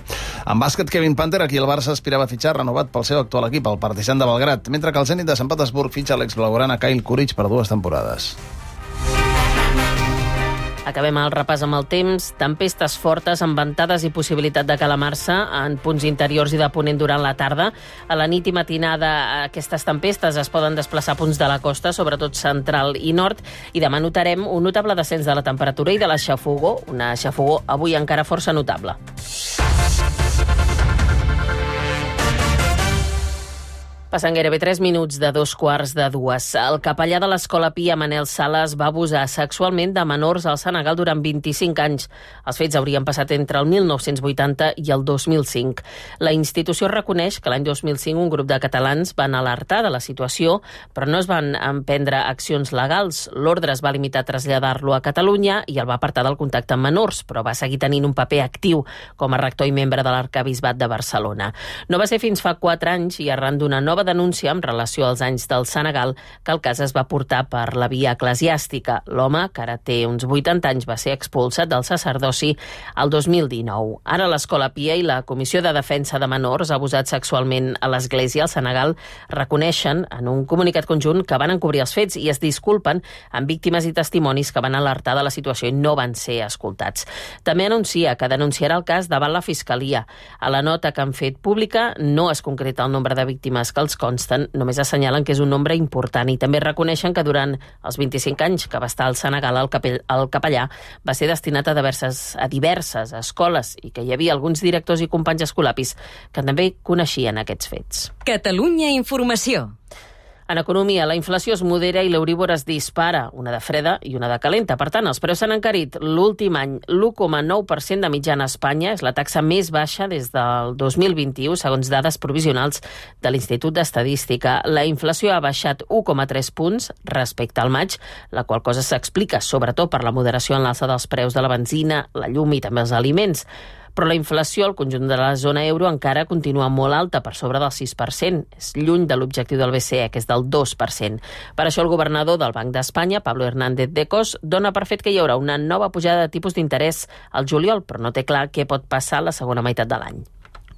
Speaker 6: En bàsquet, Kevin Panther, aquí el Barça aspirava a fitxar renovat pel seu actual equip, el Partizan de Belgrad, mentre que el Zenit de Sant Petersburg fitxa l'ex-blaugrana Kyle Kuric per dues temporades.
Speaker 2: Acabem el repàs amb el temps. Tempestes fortes amb ventades i possibilitat de calamar-se en punts interiors i de ponent durant la tarda. A la nit i matinada aquestes tempestes es poden desplaçar a punts de la costa, sobretot central i nord, i demà notarem un notable descens de la temperatura i de la xafogor, una xafogor avui encara força notable. Passen gairebé tres minuts de dos quarts de dues. El capellà de l'Escola Pia, Manel Sales, va abusar sexualment de menors al Senegal durant vint-i-cinc anys. Els fets haurien passat entre el mil nou-cents vuitanta i el dos mil cinc. La institució reconeix que l'any dos mil cinc un grup de catalans van alertar de la situació, però no es van emprendre accions legals. L'ordre es va limitar a traslladar-lo a Catalunya i el va apartar del contacte amb menors, però va seguir tenint un paper actiu com a rector i membre de l'Arquebisbat de Barcelona. No va ser fins fa quatre anys i arran d'una nova denúncia en relació als anys del Senegal que el cas es va portar per la via eclesiàstica. L'home, que ara té uns vuitanta anys, va ser expulsat del sacerdoci el dos mil dinou. Ara l'Escola Pia i la Comissió de Defensa de Menors abusats sexualment a l'Església al Senegal reconeixen en un comunicat conjunt que van encobrir els fets i es disculpen amb víctimes i testimonis que van alertar de la situació i no van ser escoltats. També anuncia que denunciarà el cas davant la Fiscalia. A la nota que han fet pública no es concreta el nombre de víctimes que els consten, només assenyalen que és un nombre important i també reconeixen que durant els vint-i-cinc anys que va estar al Senegal el, capell, el capellà va ser destinat a diverses, a diverses escoles i que hi havia alguns directors i companys escolapis que també coneixien aquests fets.
Speaker 1: Catalunya Informació.
Speaker 2: En economia, la inflació es modera i l'Euríbor es dispara, una de freda i una de calenta. Per tant, els preus s'han encarit l'últim any l'u coma nou per cent de mitjana a Espanya. És la taxa més baixa des del dos mil vint-i-u, segons dades provisionals de l'Institut d'Estadística. La inflació ha baixat u coma tres punts respecte al maig, la qual cosa s'explica sobretot per la moderació en l'alça dels preus de la benzina, la llum i també els aliments. Però la inflació al conjunt de la zona euro encara continua molt alta, per sobre del sis per cent. És lluny de l'objectiu del B C E, que és del dos per cent. Per això el governador del Banc d'Espanya, Pablo Hernández de Cos, dona per fet que hi haurà una nova pujada de tipus d'interès al juliol, però no té clar què pot passar la segona meitat de l'any.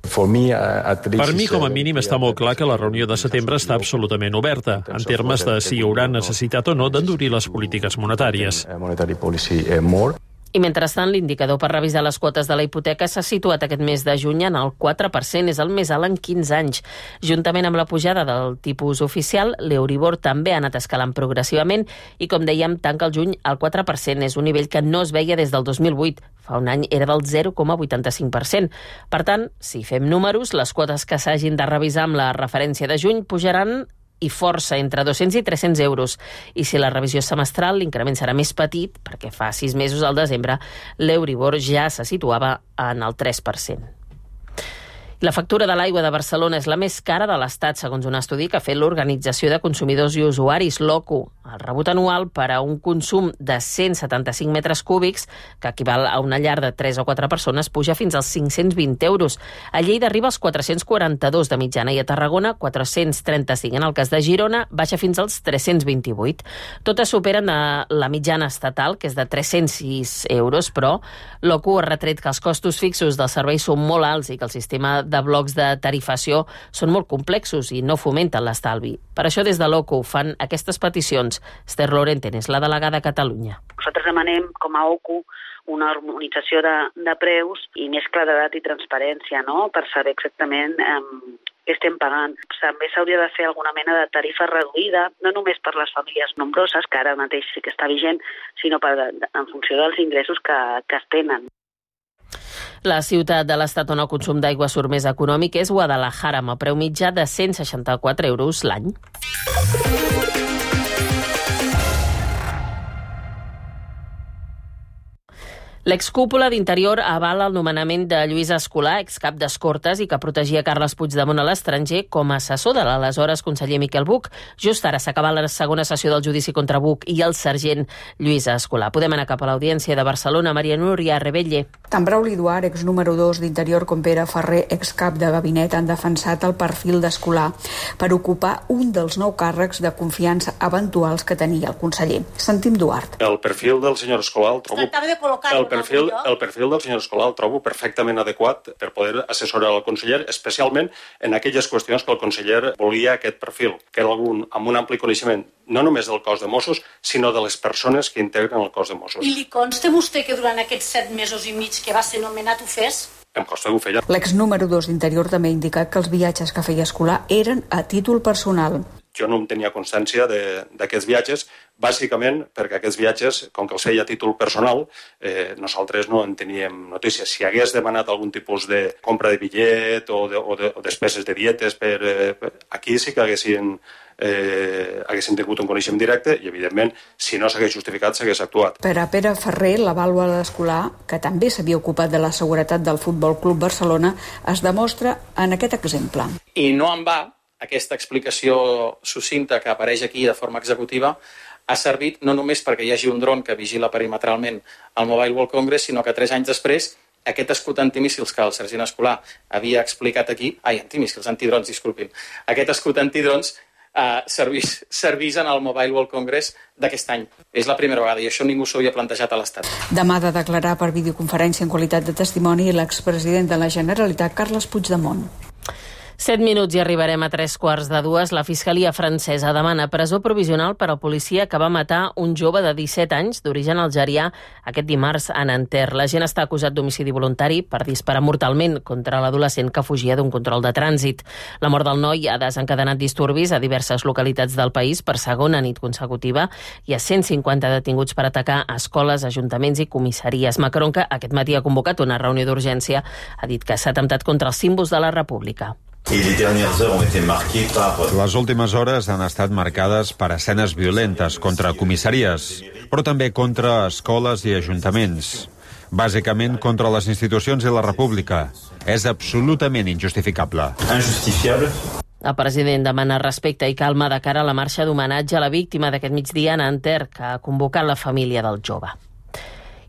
Speaker 10: Per mi, com a mínim, està molt clar que la reunió de setembre està absolutament oberta, en termes de si hi haurà necessitat o no d'endurir les polítiques monetàries.
Speaker 2: I mentrestant, l'indicador per revisar les quotes de la hipoteca s'ha situat aquest mes de juny en el quatre per cent, és el més alt en quinze anys. Juntament amb la pujada del tipus oficial, l'Euríbor també ha anat escalant progressivament i, com dèiem, tanca el juny al quatre per cent. És un nivell que no es veia des del dos mil vuit. Fa un any era del zero coma vuitanta-cinc per cent. Per tant, si fem números, les quotes que s'hagin de revisar amb la referència de juny pujaran i força, entre dos-cents i tres-cents euros. I si la revisió és semestral, l'increment serà més petit, perquè fa sis mesos al desembre l'Euríbor ja se situava en el tres per cent. La factura de l'aigua de Barcelona és la més cara de l'Estat, segons un estudi que ha fet l'Organització de Consumidors i Usuaris, l'OCU. El rebut anual per a un consum de cent setanta-cinc metres cúbics, que equival a una llar de tres o quatre persones, puja fins als cinc-cents vint euros. A Lleida arriba als quatre-cents quaranta-dos de mitjana i a Tarragona quatre-cents trenta-cinc. En el cas de Girona, baixa fins als tres-cents vint-i-vuit. Totes superen la mitjana estatal, que és de tres-cents sis euros, però l'OCU ha retret que els costos fixos dels serveis són molt alts i que el sistema de blocs de tarifació són molt complexos i no fomenten l'estalvi. Per això des de l'OCU fan aquestes peticions. Esther Lorenten és la delegada a Catalunya.
Speaker 12: Nosaltres demanem com a OCU una harmonització de, de preus i més claredat i transparència, no?, per saber exactament eh, què estem pagant. També s'hauria de fer alguna mena de tarifa reduïda, no només per les famílies nombroses, que ara mateix sí que està vigent, sinó per, en funció dels ingressos que, que es tenen.
Speaker 2: La ciutat de l'estat on el consum d'aigua surt més econòmic és Guadalajara, amb el preu mitjà de cent seixanta-quatre euros l'any. L'excúpula d'Interior avala el nomenament de Lluís Escolà, excap d'Escortes i que protegia Carles Puigdemont a l'estranger, com a assessor de l'aleshores conseller Miquel Buch. Just ara s'acaba la segona sessió del judici contra Buch i el sergent Lluís Escolà. Podem anar cap a l'Audiència de Barcelona. Maria Núria Rebelle.
Speaker 13: Tant Brauli Duart, ex número dos d'Interior, com Pere Ferrer, excap de gabinet, han defensat el perfil d'Escolà per ocupar un dels nou càrrecs de confiança eventuals que tenia el conseller. Sentim Duart.
Speaker 14: El perfil del senyor Escolà el trobo... El perfil, el perfil del senyor Escolà el trobo perfectament adequat per poder assessorar el conseller, especialment en aquelles qüestions que el conseller volia aquest perfil, que era algun amb un ampli coneixement no només del cos de Mossos, sinó de les persones que integren el cos de Mossos.
Speaker 15: I li consta a vostè que durant aquests set mesos i mig que va ser nomenat ho fes?
Speaker 14: Em consta que ho feia.
Speaker 13: L'ex número dos d'Interior també ha indicat que els viatges que feia Escolà eren a títol personal.
Speaker 14: Jo no en tenia constància d'aquests viatges, bàsicament perquè aquests viatges, com que els feia a títol personal, eh, nosaltres no en teníem notícies. Si hagués demanat algun tipus de compra de bitllet o, de, o, de, o despeses de dietes, per, eh, per, aquí sí que haguessin, eh, haguessin tingut un coneixement directe i, evidentment, si no s'hagués justificat, s'hagués actuat.
Speaker 13: Per a Pere Ferrer, l'avaluador escolar, que també s'havia ocupat de la seguretat del Futbol Club Barcelona, es demostra en aquest exemple.
Speaker 11: I no en va, aquesta explicació sucinta que apareix aquí de forma executiva ha servit no només perquè hi hagi un dron que vigila perimetralment el Mobile World Congress, sinó que tres anys després aquest escut antimíssils que el sergent Escolar havia explicat aquí, ai, antimíssils, antidrons, disculpin, aquest escut antidrons eh, servís, servís en el Mobile World Congress d'aquest any. És la primera vegada i això ningú s'ho havia plantejat a l'Estat.
Speaker 13: Demà ha de declarar per videoconferència en qualitat de testimoni l'expresident de la Generalitat, Carles Puigdemont.
Speaker 2: Set minuts i arribarem a tres quarts de dues. La Fiscalia francesa demana presó provisional per al policia que va matar un jove de disset anys d'origen algerià aquest dimarts a Nanterre. L'agent està acusat d'homicidi voluntari per disparar mortalment contra l'adolescent que fugia d'un control de trànsit. La mort del noi ha desencadenat disturbis a diverses localitats del país per segona nit consecutiva. Hi ha cent cinquanta detinguts per atacar escoles, ajuntaments i comissaries. Macron, que aquest matí ha convocat una reunió d'urgència, ha dit que s'ha atemptat contra els símbols de la República.
Speaker 16: Les últimes hores han estat marcades per escenes violentes contra comissaries, però també contra escoles i ajuntaments. Bàsicament contra les institucions i la República. És absolutament injustificable.
Speaker 2: Injustifiable. El president demana respecte i calma de cara a la marxa d'homenatge a la víctima d'aquest migdia a Nanterre, que ha convocat la família del jove.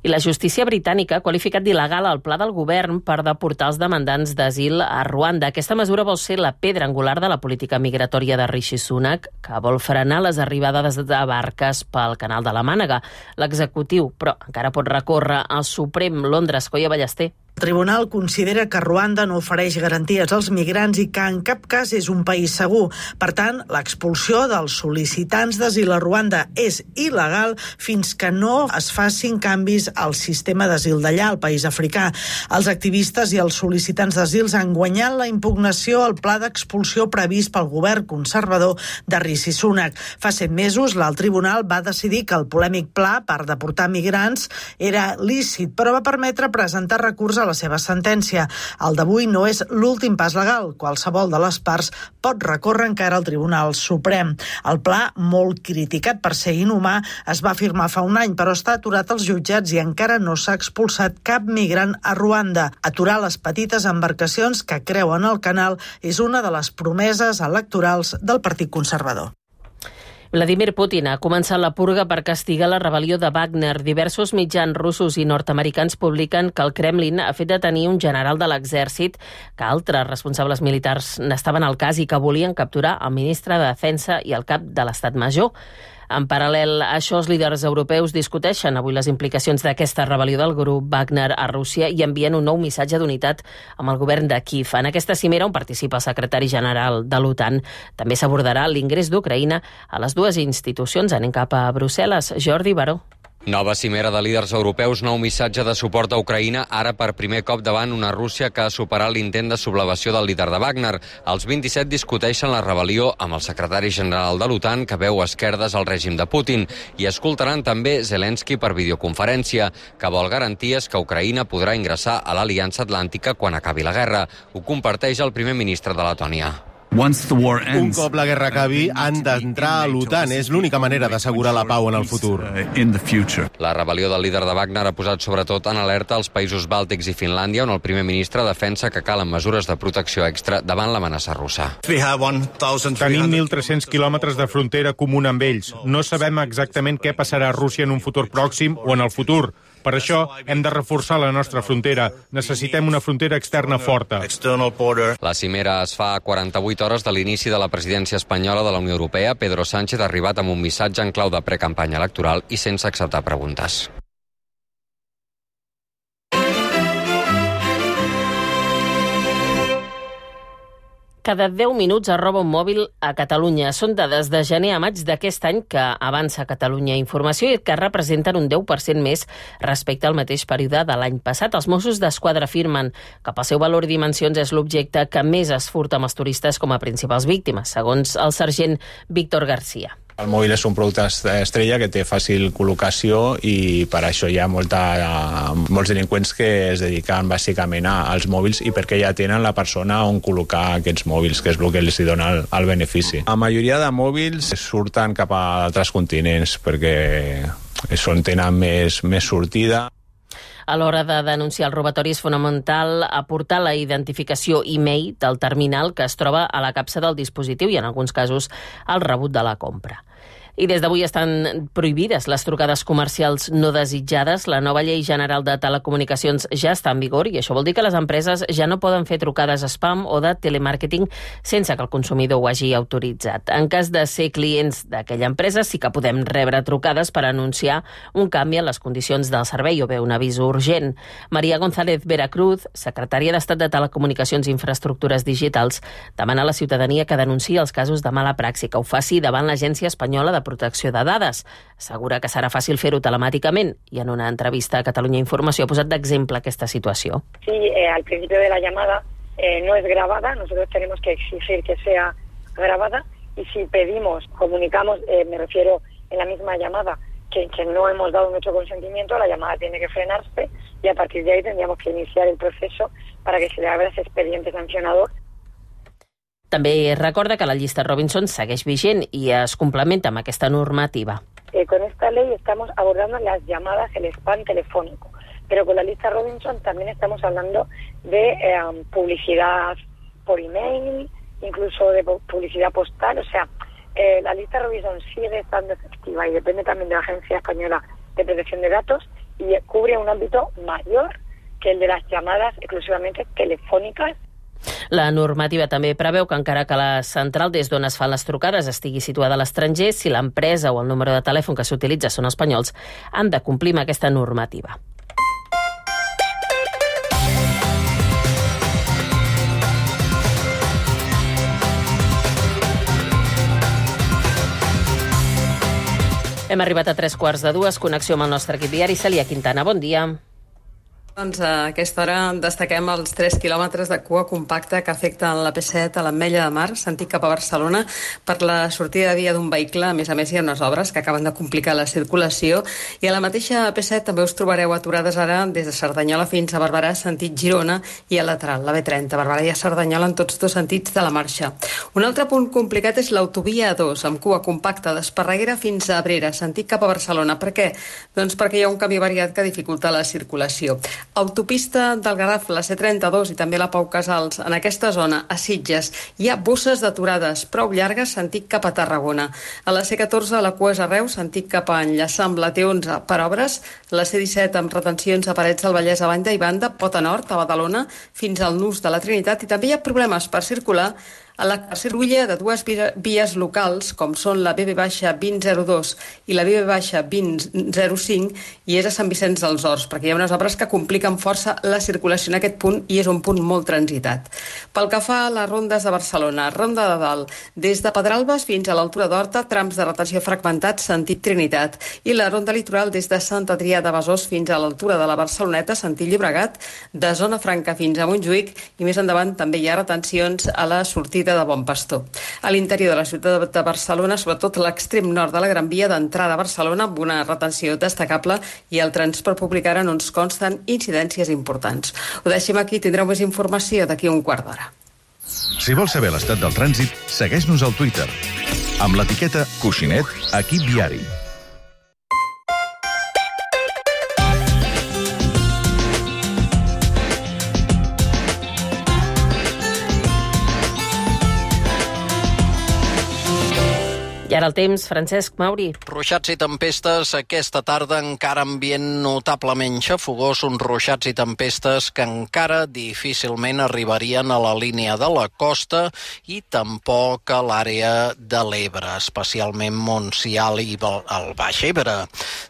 Speaker 2: I la justícia britànica ha qualificat d'il·legal el pla del govern per deportar els demandants d'asil a Ruanda. Aquesta mesura vol ser la pedra angular de la política migratòria de Rishi Sunak, que vol frenar les arribades de barques pel canal de la Mànega. L'executiu, però, encara pot recórrer al Suprem. Londres, Coia Ballester.
Speaker 17: El tribunal considera que Ruanda no ofereix garanties als migrants i que en cap cas és un país segur. Per tant, l'expulsió dels sol·licitants d'asil a Ruanda és il·legal fins que no es facin canvis al sistema d'asil d'allà, al país africà. Els activistes i els sol·licitants d'asil han guanyat la impugnació al pla d'expulsió previst pel govern conservador de Rishi Sunak. Fa set mesos, l'alt tribunal va decidir que el polèmic pla per deportar migrants era lícit, però va permetre presentar recurs a la seva sentència. El d'avui no és l'últim pas legal. Qualsevol de les parts pot recórrer encara al Tribunal Suprem. El pla, molt criticat per ser inhumà, es va firmar fa un any, però està aturat als jutjats i encara no s'ha expulsat cap migrant a Ruanda. Aturar les petites embarcacions que creuen el canal és una de les promeses electorals del Partit Conservador.
Speaker 2: Vladimir Putin ha començat la purga per castigar la rebel·lió de Wagner. Diversos mitjans russos i nord-americans publiquen que el Kremlin ha fet detenir un general de l'exèrcit, que altres responsables militars n'estaven al cas i que volien capturar el ministre de Defensa i el cap de l'Estat Major. En paral·lel a això, els líders europeus discuteixen avui les implicacions d'aquesta rebel·lió del grup Wagner a Rússia i envien un nou missatge d'unitat amb el govern de Kíev. En aquesta cimera, on participa el secretari general de l'OTAN, també s'abordarà l'ingrés d'Ucraïna a les dues institucions. Anem cap a Brussel·les. Jordi Baró.
Speaker 18: Nova cimera de líders europeus, nou missatge de suport a Ucraïna, ara per primer cop davant una Rússia que ha superat l'intent de sublevació del líder de Wagner. Els vint-i-set discuteixen la rebel·lió amb el secretari general de l'OTAN, que veu esquerdes al règim de Putin, i escoltaran també Zelensky per videoconferència, que vol garanties que Ucraïna podrà ingressar a l'Aliança Atlàntica quan acabi la guerra. Ho comparteix el primer ministre de Letònia.
Speaker 19: Un cop la guerra acabi, han d'entrar a l'OTAN. És l'única manera d'assegurar la pau en el futur.
Speaker 18: La rebel·lió del líder de Wagner ha posat sobretot en alerta els països bàltics i Finlàndia, on el primer ministre defensa que calen mesures de protecció extra davant l'amenaça russa.
Speaker 26: Tenim mil tres-cents quilòmetres de frontera comuna amb ells. No sabem exactament què passarà a Rússia en un futur pròxim o en el futur. Per això hem de reforçar la nostra frontera. Necessitem una frontera externa forta.
Speaker 18: La cimera es fa a quaranta-vuit hores de l'inici de la presidència espanyola de la Unió Europea. Pedro Sánchez ha arribat amb un missatge en clau de precampanya electoral i sense acceptar preguntes.
Speaker 2: Cada deu minuts es roba un mòbil a Catalunya. Són dades de gener a maig d'aquest any que avança Catalunya Informació i que representen un deu per cent més respecte al mateix període de l'any passat. Els Mossos d'Esquadra afirmen que pel seu valor i dimensions és l'objecte que més es furta amb els turistes com a principals víctimes, segons el sergent Víctor García.
Speaker 3: El mòbil és un producte estrella que té fàcil col·locació i per això hi ha molta, molts delinqüents que es dediquen bàsicament als mòbils i perquè ja tenen la persona on col·locar aquests mòbils, que és el que els dona el, el benefici. La majoria de mòbils surten cap a altres continents perquè és on tenen més, més sortida.
Speaker 2: A l'hora de denunciar el robatori és fonamental aportar la identificació e-mail del terminal que es troba a la capsa del dispositiu i, en alguns casos, el rebut de la compra. I des d'avui estan prohibides les trucades comercials no desitjades. La nova llei general de telecomunicacions ja està en vigor i això vol dir que les empreses ja no poden fer trucades spam o de telemàrqueting sense que el consumidor ho hagi autoritzat. En cas de ser clients d'aquella empresa sí que podem rebre trucades per anunciar un canvi en les condicions del servei o bé un avís urgent. Maria González Veracruz, secretària d'Estat de Telecomunicacions i Infraestructures Digitals, demana a la ciutadania que denunciï els casos de mala praxi, que ho faci davant l'Agència Espanyola de Protecció de Dades. Assegura que serà fàcil fer-ho telemàticament i en una entrevista a Catalunya Informació ha posat d'exemple aquesta situació.
Speaker 4: Sí, eh, al principio de la llamada eh, no es grabada, nosotros tenemos que exigir que sea grabada y si pedimos, comunicamos, eh, me refiero en la misma llamada, que, que no hemos dado nuestro consentimiento, la llamada tiene que frenarse y a partir de ahí tendríamos que iniciar el proceso para que se le abra ese expediente sancionador.
Speaker 2: També recorda que la llista Robinson segueix vigent i es complementa amb aquesta normativa.
Speaker 4: Eh, con esta ley estamos abordando las llamadas, el spam telefónico, pero con la lista Robinson también estamos hablando de eh, publicidad por email, incluso de publicidad postal, o sea, eh, la lista Robinson sigue estando efectiva y depende también de la Agencia Española de Protección de Datos y cubre un ámbito mayor que el de las llamadas exclusivamente telefónicas.
Speaker 2: La normativa també preveu que encara que la central des d'on es fan les trucades estigui situada a l'estranger, si l'empresa o el número de telèfon que s'utilitza són espanyols, han de complir amb aquesta normativa. Hem arribat a tres quarts de dues, connexió amb el nostre equip diari. Cèlia Quintana, bon dia.
Speaker 20: Doncs a aquesta hora destaquem els tres quilòmetres de cua compacta que afecten la P set a l'Ametlla de Mar, sentit cap a Barcelona, per la sortida de via d'un vehicle. A més a més, hi ha unes obres que acaben de complicar la circulació. I a la mateixa P set també us trobareu aturades ara des de Cerdanyola fins a Barberà, sentit Girona, i al lateral, la B trenta, Barberà i a Cerdanyola en tots dos sentits de la marxa. Un altre punt complicat és l'autovia A dos, amb cua compacta d'Esparreguera fins a Abrera, sentit cap a Barcelona. Per què? Doncs perquè hi ha un camí variat que dificulta la circulació. Autopista del Garraf, la C trenta-dos i també la Pau Casals. En aquesta zona, a Sitges, hi ha bosses d'aturades prou llargues sentit cap a Tarragona. A la C catorze, la cua és a Reus, sentit cap a enllaçar amb la T onze per obres. La C disset, amb retencions a Parets del Vallès a banda i banda, Pota Nord, a Badalona, fins al Nus de la Trinitat. I també hi ha problemes per circular a la circulla de dues vies locals, com són la B B vint zero dos i la B B vint zero cinc, i és a Sant Vicenç dels Horts, perquè hi ha unes obres que compliquen força la circulació en aquest punt i és un punt molt transitat. Pel que fa a les rondes de Barcelona, Ronda de Dalt, des de Pedralbes fins a l'altura d'Horta, trams de retenció fragmentats, sentit Trinitat, i la Ronda Litoral des de Sant Adrià de Besòs fins a l'altura de la Barceloneta, sentit Llobregat, de Zona Franca fins a Montjuïc, i més endavant també hi ha retencions a la sortida de Bon Pastor. A l'interior de la ciutat de Barcelona, sobretot l'extrem nord de la Gran Via d'entrada a Barcelona, amb una retenció destacable, i el transport públic ara no ens consten incidències importants. Ho deixem aquí, tindreu més informació d'aquí un quart d'hora.
Speaker 21: Si vols saber l'estat del trànsit, segueix-nos al Twitter amb l'etiqueta Coixinet Equip Viari.
Speaker 2: I ara el temps, Francesc Mauri.
Speaker 22: Ruixats i tempestes aquesta tarda, encara ambient notablement xafogós, uns ruixats i tempestes que encara difícilment arribarien a la línia de la costa i tampoc a l'àrea de l'Ebre, especialment Montsià i el Baix Ebre.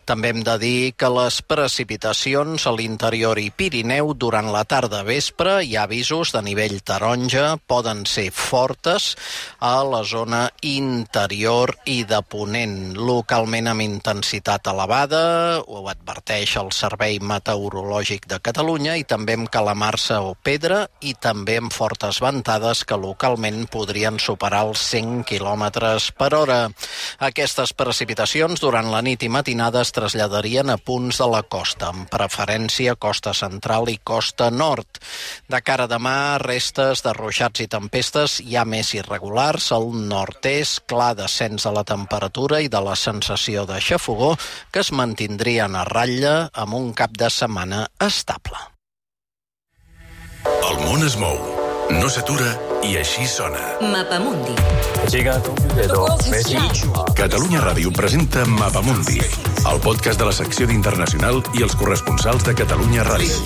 Speaker 22: També hem de dir que les precipitacions a l'interior i Pirineu durant la tarda vespre hi ha avisos de nivell taronja, poden ser fortes a la zona interior i de ponent, localment amb intensitat elevada, ho adverteix el Servei Meteorològic de Catalunya, i també amb calamarsa o pedra, i també amb fortes ventades que localment podrien superar els cent quilòmetres per hora. Aquestes precipitacions durant la nit i matinada es traslladarien a punts de la costa, amb preferència costa central i costa nord. De cara a demà, restes de ruixats i tempestes ja més irregulars. Al nord-est, clar descens de la temperatura i de la sensació de xafogor que es mantindrien a ratlla amb un cap de setmana estable.
Speaker 21: El món es mou, no s'atura i així sona.
Speaker 1: Mapamundi.
Speaker 21: Catalunya Ràdio presenta Mapamundi, el podcast de la secció d'Internacional i els corresponsals de Catalunya Ràdio.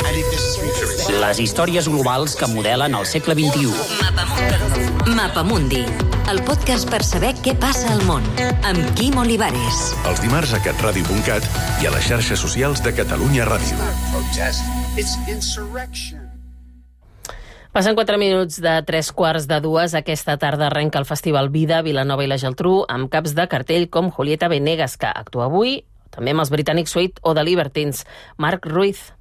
Speaker 5: Les històries globals que modelen el segle vint-i-u.
Speaker 1: Mapamundi. Mapamundi, el podcast per saber què passa al món, amb Quim Olivares.
Speaker 21: Els dimarts a catradio punt cat i a les xarxes socials de Catalunya Ràdio.
Speaker 2: Passen quatre minuts de tres quarts de dues. Aquesta tarda arrenca el Festival Vida, Vilanova i la Geltrú, amb caps de cartell com Julieta Venegas, que actua avui, també amb els britànics Sweet o The Libertines. Marc Ruiz.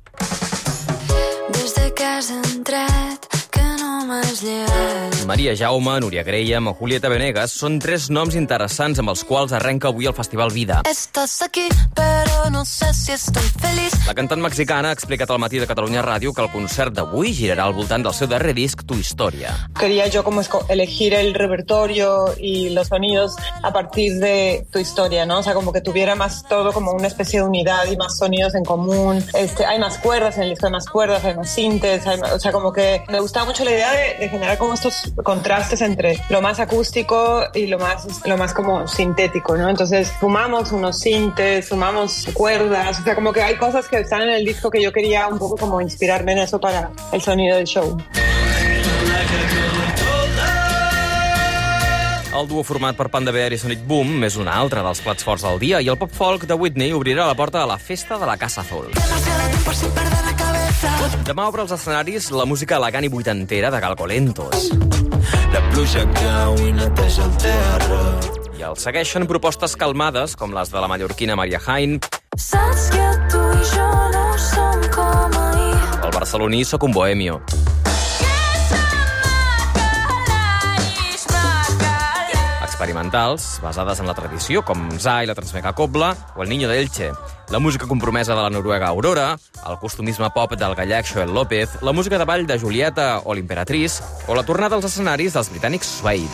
Speaker 7: Des de casa he entrat, que no m'has llevat.
Speaker 8: Maria Jaume, Núria Graham o Julieta Venegas són tres noms interessants amb els quals arrenca avui el Festival Vida.
Speaker 7: Estàs aquí, però no sé si estoy feliz.
Speaker 8: La cantant mexicana ha explicat al matí de Catalunya Ràdio que el concert d'avui girarà al voltant del seu darrer disc, Tu Historia.
Speaker 23: Quería yo como elegir el repertorio y los sonidos a partir de Tu Historia, ¿no? O sea, como que tuviera más todo como una especie de unidad y más sonidos en común. Este, hay más cuerdas, en el disco hay más cuerdas, hay más sintes, hay más, o sea, como que me gustaba mucho la idea de, de generar como estos contrastes entre lo más acústico y lo más, lo más como sintético, ¿no? Entonces sumamos unos sintes, sumamos cuerdas, o sea, como que hay cosas que están en el disco que yo quería un poco como inspirarme en eso para el sonido del show.
Speaker 8: El duo format per Panda Bear i Sonic Boom és un altre dels plats forts del dia i el pop folk de Whitney obrirà la porta a la festa de la Casa Azul. Demà obre els escenaris la música elegant i vuitantera de Galgolentos. La pluja cau i neteja el terra. I el segueixen propostes calmades com les de la mallorquina Maria Jaén.
Speaker 7: Saps que tu i jo no som com ahir.
Speaker 8: El barceloní Soc un bohemio. Experimentals, basades en la tradició, com Zai, la Transmega Cobla o El Niño de Elche. La música compromesa de la noruega Aurora, el costumisme pop del gallec Joel López, la música de ball de Julieta o l'Imperatriz, o la tornada als escenaris dels britànics Suede.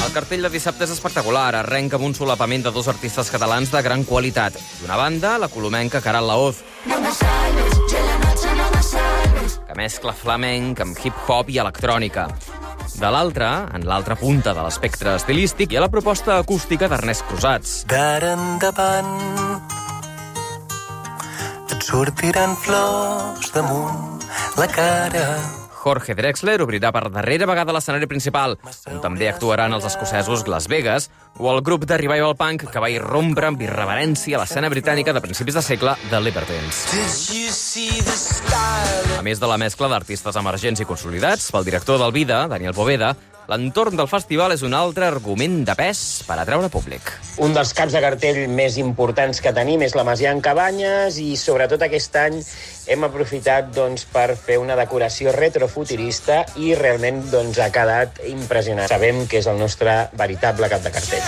Speaker 8: El cartell de dissabte és espectacular. Arrenca amb un solapament de dos artistes catalans de gran qualitat. D'una banda, la colomenca Caral Laoz, que mescla flamenc amb hip-hop i electrònica. De l'altra, en l'altra punta de l'espectre estilístic, hi ha la proposta acústica d'Ernest Crusats.
Speaker 24: D'ara endavant et sortiran flors damunt la cara.
Speaker 8: Jorge Drexler obrirà per darrera vegada l'escenari principal, on també actuaran els escocesos Las Vegas o el grup de revival punk que va irrompre amb irreverència a l'escena britànica de principis de segle, The Libertines. A més de la mescla d'artistes emergents i consolidats, pel director del Vida, Daniel Poveda, l'entorn del festival és un altre argument de pes per atraure públic.
Speaker 25: Un dels caps de cartell més importants que tenim és la Masia en Cabanyes i sobretot aquest any hem aprofitat doncs, per fer una decoració retrofuturista i realment doncs, ha quedat impressionant. Sabem que és el nostre veritable cap de cartell.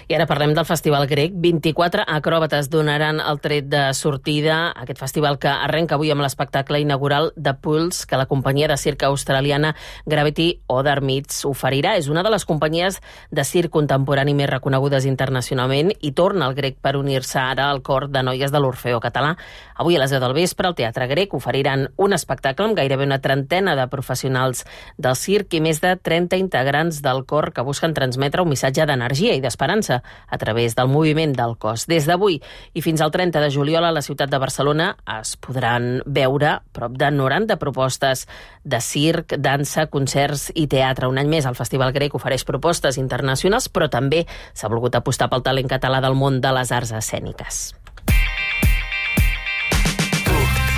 Speaker 2: I ara parlem del Festival Grec. vint-i-quatre acròbates donaran el tret de sortida a aquest festival que arrenca avui amb l'espectacle inaugural de Pulse que la companyia de circ australiana Gravity Other Meets oferirà. És una de les companyies de circ contemporani més reconegudes internacionalment i torna al Grec per unir-se ara al cor de noies de l'Orfeó Català. Avui a les deu del vespre al Teatre Grec oferiran un espectacle amb gairebé una trentena de professionals del circ i més de trenta integrants del cor que busquen transmetre un missatge d'energia i d'esperança a través del moviment del cos. Des d'avui i fins al trenta de juliol a la ciutat de Barcelona es podran veure prop de noranta propostes de circ, dansa, concerts i teatre. Un any més el Festival Grec ofereix propostes internacionals, però també s'ha volgut apostar pel talent català del món de les arts escèniques.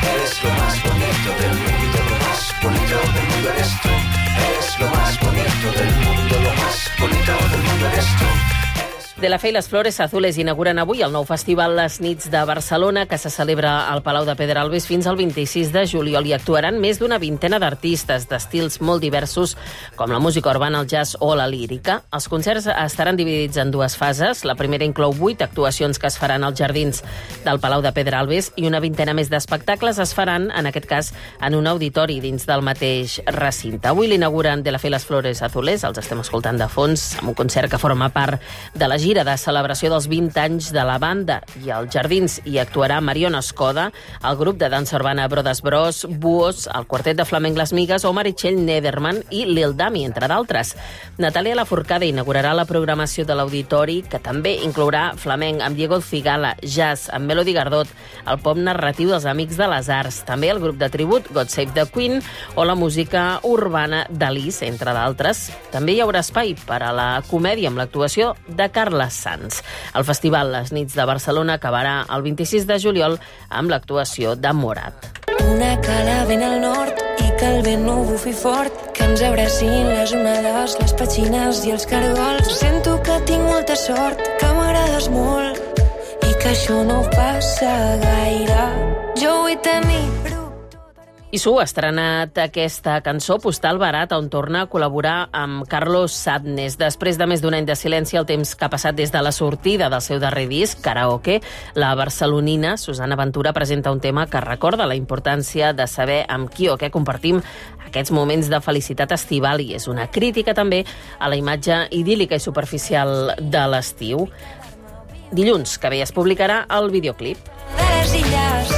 Speaker 24: Eres lo más bonito del mundo, lo más bonito del mundo eres tú. Eres lo más bonito del mundo, lo más bonito del mundo eres tú.
Speaker 2: De la Fe i les Flores Azules inauguren avui el nou festival Les Nits de Barcelona, que se celebra al Palau de Pedralbes fins al vint-i-sis de juliol. Hi actuaran més d'una vintena d'artistes d'estils molt diversos, com la música urbana, el jazz o la lírica. Els concerts estaran dividits en dues fases. La primera inclou vuit actuacions que es faran als jardins del Palau de Pedralbes i una vintena més d'espectacles es faran, en aquest cas, en un auditori dins del mateix recinte. Avui l'inauguren De la Fe i les Flores Azules, els estem escoltant de fons, amb un concert que forma part de la gira de celebració dels vint anys de la banda. I als jardins hi actuarà Mariona Escoda, el grup de dansa urbana Brodes Bros, Buos, el quartet de flamenc Les Migues o Meritxell Nederman i Lil Dami, entre d'altres. Natàlia Lafourcade inaugurarà la programació de l'auditori, que també inclourà flamenc amb Diego Cigala, jazz amb Melody Gardot, el pop narratiu dels Amics de les Arts, també el grup de tribut God Save the Queen o la música urbana d'Alice, entre d'altres. També hi haurà espai per a la comèdia amb l'actuació de Carles Sanz. El festival Les Nits de Barcelona acabarà el vint-i-sis de juliol amb l'actuació de Morat.
Speaker 7: Una cala ben al nord i que el vent no bufi fort, que ens abracin les onades, les petxines i els cargols. Sento que tinc molta sort, que m'agrades molt i que això no passa gaire. Jo vull tenir...
Speaker 2: I Su ha estrenat aquesta cançó Postal Barat, on torna a col·laborar amb Carlos Sadness. Després de més d'un any de silenci, el temps que ha passat des de la sortida del seu darrer disc, Karaoke, la barcelonina Susana Ventura presenta un tema que recorda la importància de saber amb qui o què compartim aquests moments de felicitat estival, i és una crítica també a la imatge idíl·lica i superficial de l'estiu. Dilluns que ve es publicarà el videoclip.
Speaker 7: De les illes.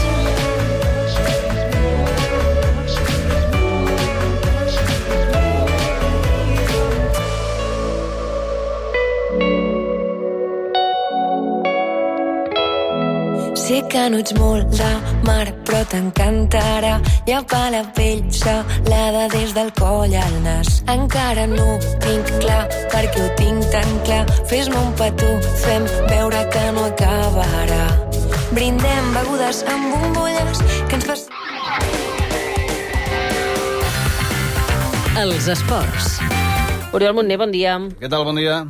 Speaker 7: Sé que no ets molt de mar, però t'encantarà llepar la pell salada des del coll al nas. Encara no ho tinc clar, perquè ho tinc tan clar. Fes-me un petó, fem veure que no acabarà. Brindem begudes amb bombolles que ens fas...
Speaker 1: Els esports.
Speaker 2: Oriol Montner, bon dia.
Speaker 6: Què tal, bon dia?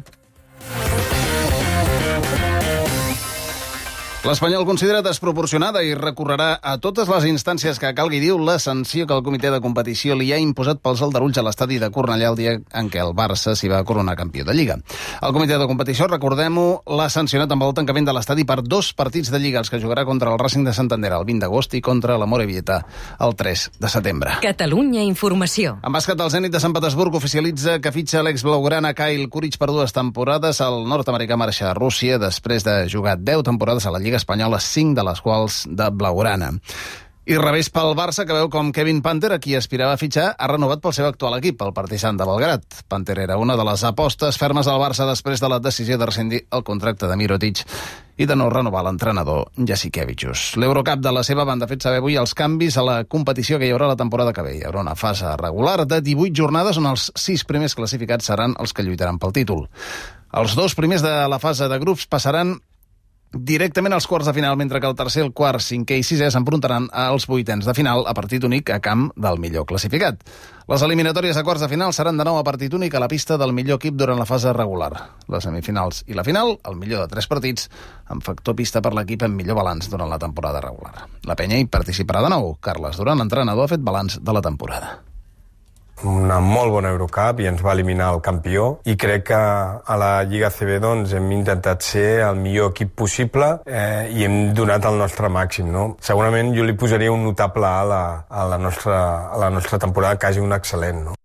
Speaker 6: L'Espanyol considera desproporcionada i recorrerà a totes les instàncies que calgui, diu, la sanció que el comitè de competició li ha imposat pels aldarulls a l'estadi de Cornellà el dia en què el Barça s'hi va coronar campió de Lliga. El comitè de competició, recordem-ho, l'ha sancionat amb el tancament de l'estadi per dos partits de Lliga, els que jugarà contra el Racing de Santander el vint d'agost i contra la Morevieta el tres de setembre.
Speaker 1: Catalunya Informació.
Speaker 6: En bàsquet, el Zenit de Sant Petersburg oficialitza que fitxa l'ex blaugrana Kyle Kuric per dues temporades. El nord-americà marxa a Rússia després de jugar deu temporades a la Lliga espanyola, cinc de les quals de blaugrana. I revés pel Barça, que veu com Kevin Panter, a qui aspirava a fitxar, ha renovat pel seu actual equip, el Partizan de Belgrat. Panter era una de les apostes fermes al Barça després de la decisió de rescindir el contracte de Mirotic i de no renovar l'entrenador Jasikevičius. L'Eurocup de la seva banda ha fet saber avui els canvis a la competició que hi haurà la temporada que ve. Hi haurà una fase regular de divuit jornades on els sis primers classificats seran els que lluitaran pel títol. Els dos primers de la fase de grups passaran directament als quarts de final, mentre que el tercer, el quart, cinquè i sisè s'enfrontaran als vuitens de final a partit únic a camp del millor classificat. Les eliminatòries a quarts de final seran de nou a partit únic a la pista del millor equip durant la fase regular. Les semifinals i la final, el millor de tres partits, amb factor pista per l'equip amb millor balanç durant la temporada regular. La penya hi participarà de nou. Carles Duran, l'entrenador, ha fet balanç de la temporada.
Speaker 9: Una molt bona Eurocup i ens va eliminar el campió, i crec que a la Lliga A C B doncs, hem intentat ser el millor equip possible eh, i hem donat el nostre màxim, no? Segurament jo li posaria un notable A a la, a la, nostra, a la nostra temporada, quasi un excel·lent, no?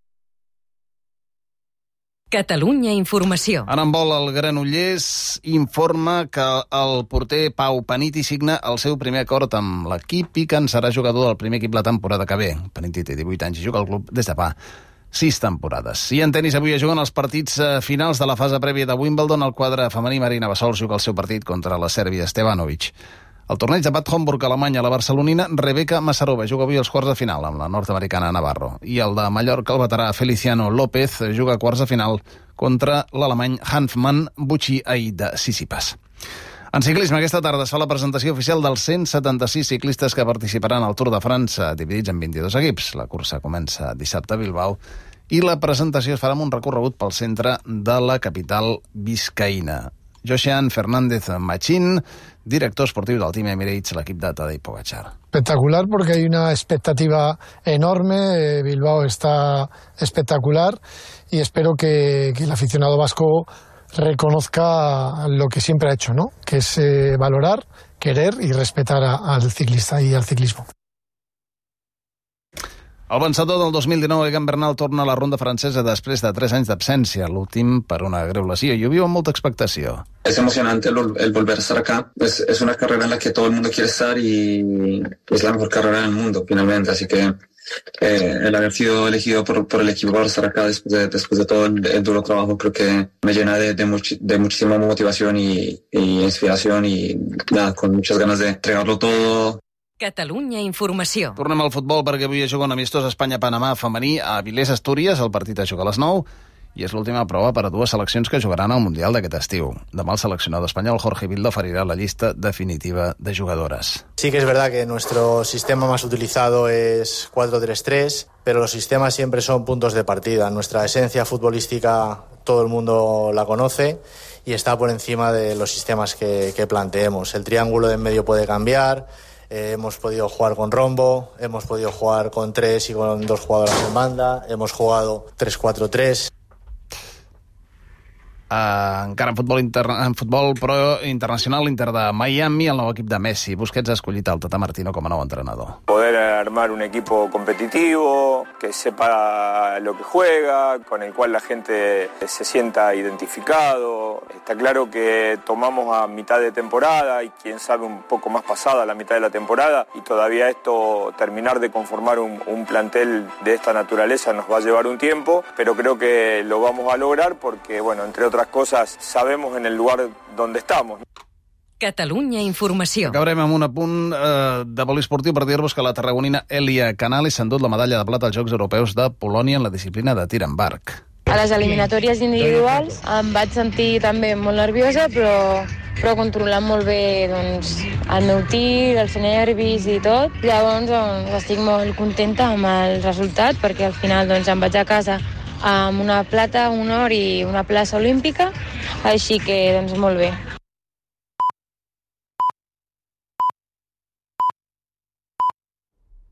Speaker 1: Catalunya Informació.
Speaker 6: En handbol, el Granollers informa que el porter Pau Paniti signa el seu primer acord amb l'equip i que en serà jugador del primer equip la temporada que ve. Paniti té divuit anys i juga al club des de fa sis temporades. I en tenis avui es juguen els partits finals de la fase prèvia de Wimbledon. El quadre femení Marina Bassols juga el seu partit contra la sèrbia Stevanovic. El torneig de Bad Homburg, Alemanya, la barcelonina Rebeka Masarova juga avui als quarts de final amb la nord-americana Navarro. I el de Mallorca, el veterà Feliciano López, juga a quarts de final contra l'alemany Hanfmann Bucci-Aïd de Sissipas. En ciclisme, aquesta tarda es fa la presentació oficial dels cent setanta-sis ciclistes que participaran al Tour de França, dividits en vint-i-dos equips. La cursa comença dissabte a Bilbao i la presentació es farà amb un recorregut pel centre de la capital biscaïna. Josian Fernández Machín, director esportiu del Team Emirates, l'equip de Tadej Pogačar.
Speaker 10: Espectacular porque hay una expectativa enorme, Bilbao está espectacular y espero que, que el aficionado vasco reconozca lo que siempre ha hecho, ¿no? Que es eh, valorar, querer y respetar a, al ciclista y al ciclismo.
Speaker 6: El vencedor del dos mil dinou, Egan Bernal, torna a la ronda francesa després de tres anys d'absència, l'últim per una greu lesió, i ho viu amb molta expectació.
Speaker 11: Es emocionante el, el volver a estar acá. Es, es una carrera en la que todo el mundo quiere estar y es la mejor carrera del mundo, finalmente. Así que eh, el haber sido elegido por, por el equipo para estar acá después de, después de todo el, el duro trabajo, creo que me llena de, de, much, de muchísima motivación y, y inspiración y nada, con muchas ganas de entregarlo todo.
Speaker 1: Catalunya Informació.
Speaker 6: Tornem al futbol perquè avui es juga un amistós Espanya-Panamà femení a Avilés, Astúries. El partit es juga a les nou i és l'última prova per a dues seleccions que jugaran al Mundial d'aquest estiu. Demà el seleccionador espanyol Jorge Vilda oferirà la llista definitiva de jugadores.
Speaker 12: Sí que es verdad que nuestro sistema más utilizado es cuatro tres tres, pero los sistemas siempre son puntos de partida. Nuestra esencia futbolística todo el mundo la conoce y está por encima de los sistemas que, que planteemos. El triángulo de en medio puede cambiar. Eh, hemos podido jugar con rombo, hemos podido jugar con tres y con dos jugadoras en banda, hemos jugado tres cuatro tres.
Speaker 6: Uh, encara en futbol, inter... en futbol pro internacional, l'Inter de Miami, el nou equip de Messi. Busquets ha escollit el Tata Martino com a nou entrenador.
Speaker 9: Poder armar un equipo competitivo, que sepa lo que juega, con el cual la gente se sienta identificado. Está claro que tomamos a mitad de temporada y quién sabe un poco más pasada la mitad de la temporada y todavía esto, terminar de conformar un, un plantel de esta naturaleza nos va a llevar un tiempo, pero creo que lo vamos a lograr porque, bueno, entre otras cosas, sabemos en el lugar donde estamos.
Speaker 1: Catalunya Informació.
Speaker 6: Acabarem amb un apunt eh, de poliesportiu per dir-vos que la tarragonina Elia Canales s'ha endut la medalla de plata als Jocs Europeus de Polònia en la disciplina de tir amb arc.
Speaker 13: A les eliminatòries individuals em vaig sentir també molt nerviosa, però, però controlant molt bé doncs, el meu tir, els nervis i tot. Llavors doncs, estic molt contenta amb el resultat, perquè al final doncs, em vaig a casa amb una plata, un or i una plaça olímpica, així que doncs, molt bé.